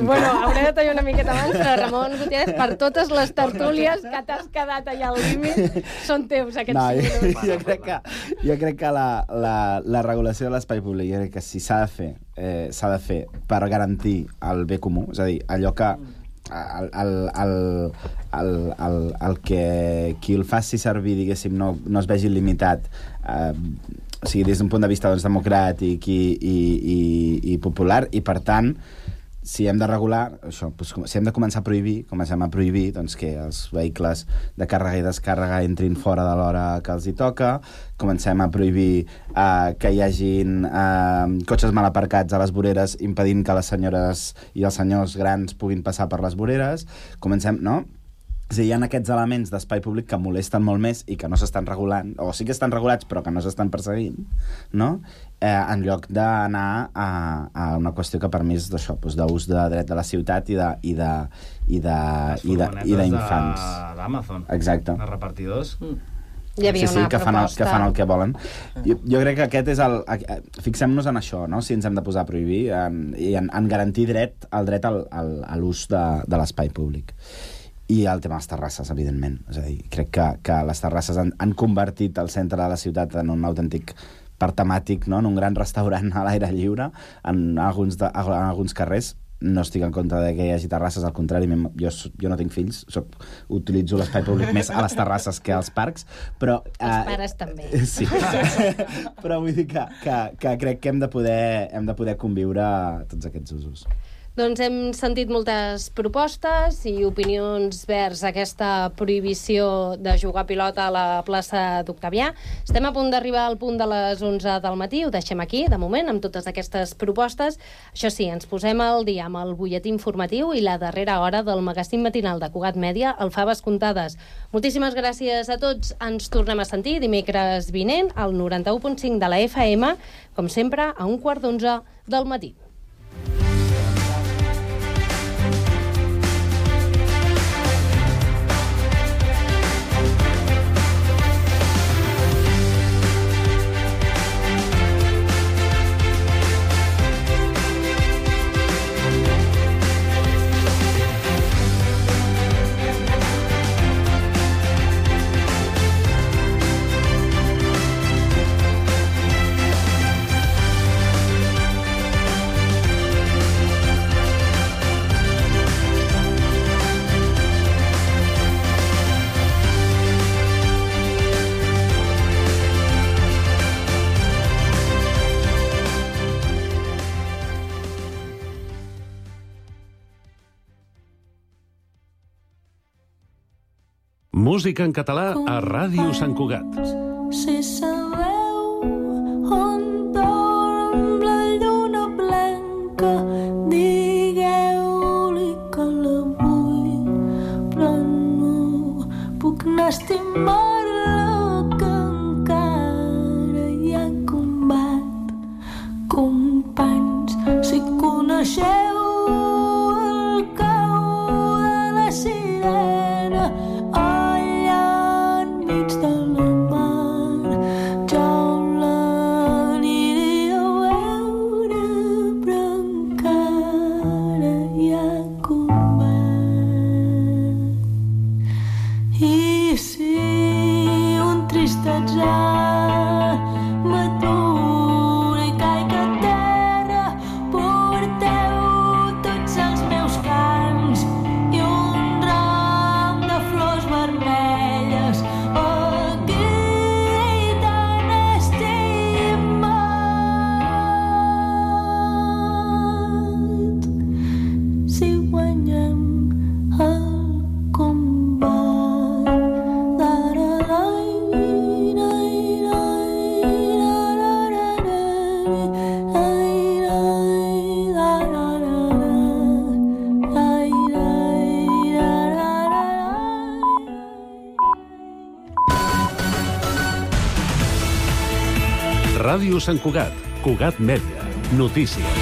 Speaker 14: bueno, hauré de tallar una miqueta abans, però Ramon Gutiérrez, per totes les tertúlies que t'has quedat allà al límit, són teus aquests 5 minuts.
Speaker 2: Jo crec que la regulació de l'espai públic, jo crec que si s'ha de fer per garantir el bé comú, és a dir, allò que el que qui el faci servir, diguéssim, no es vegi limitat, o sigui, des d'un punt de vista democràtic i popular, i per tant, si hem de regular això, si hem de començar a prohibir, comencem a prohibir doncs, que els vehicles de càrrega i descàrrega entrin fora de l'hora que els hi toca, comencem a prohibir que hi hagin cotxes mal aparcats a les voreres impedint que les senyores i els senyors grans puguin passar per les voreres, comencem, no? És a dir, hi ha aquests elements d'espai públic que molesten molt més i que no s'estan regulant, o sí que estan regulats però que no s'estan perseguint, no? En lloc d'anar a una qüestió que per mi és d'això, d'ús de dret de la ciutat i d'infants.
Speaker 23: D'Amazon.
Speaker 2: Exacte.
Speaker 23: Els repartidors.
Speaker 14: Hi havia una proposta...
Speaker 2: que fan el que volen. Jo crec que aquest és el... Fixem-nos en això, no? Si ens hem de posar a prohibir, en garantir el dret a l'ús de l'espai públic. I el tema de les terrasses, evidentment. És a dir, crec que les terrasses han convertit el centre de la ciutat en un autèntic parc temàtic, no? En un gran restaurant a l'aire lliure, en alguns carrers. No estic en contra de que hi hagi terrasses, al contrari, jo no tinc fills, utilitzo l'espai públic més a les terrasses que als parcs, però...
Speaker 14: Els pares també.
Speaker 2: Sí, però vull dir que crec que hem de poder conviure tots aquests usos.
Speaker 14: Doncs hem sentit moltes propostes i opinions vers aquesta prohibició de jugar a pilota a la plaça d'Octavià. Estem a punt d'arribar al punt de les 11 del matí, ho deixem aquí, de moment, amb totes aquestes propostes. Això sí, ens posem al dia amb el butlletí informatiu i la darrera hora del magazín matinal de Cugat Mèdia, el Faves Comptades. Moltíssimes gràcies a tots. Ens tornem a sentir dimecres vinent al 91.5 de la FM, com sempre, a 11:15 del matí.
Speaker 1: Música en català a Ràdio Sant Cugat.
Speaker 5: Si sabeu on dorm la lluna blanca, digueu-li que la vull, però no puc anar a estimar-la, que encara hi ha combat. Companys, si coneixeu el cau de la sirena, allà enmig de la mar, jaulen
Speaker 1: Ràdio Sant Cugat. Cugat Mèdia. Notícies.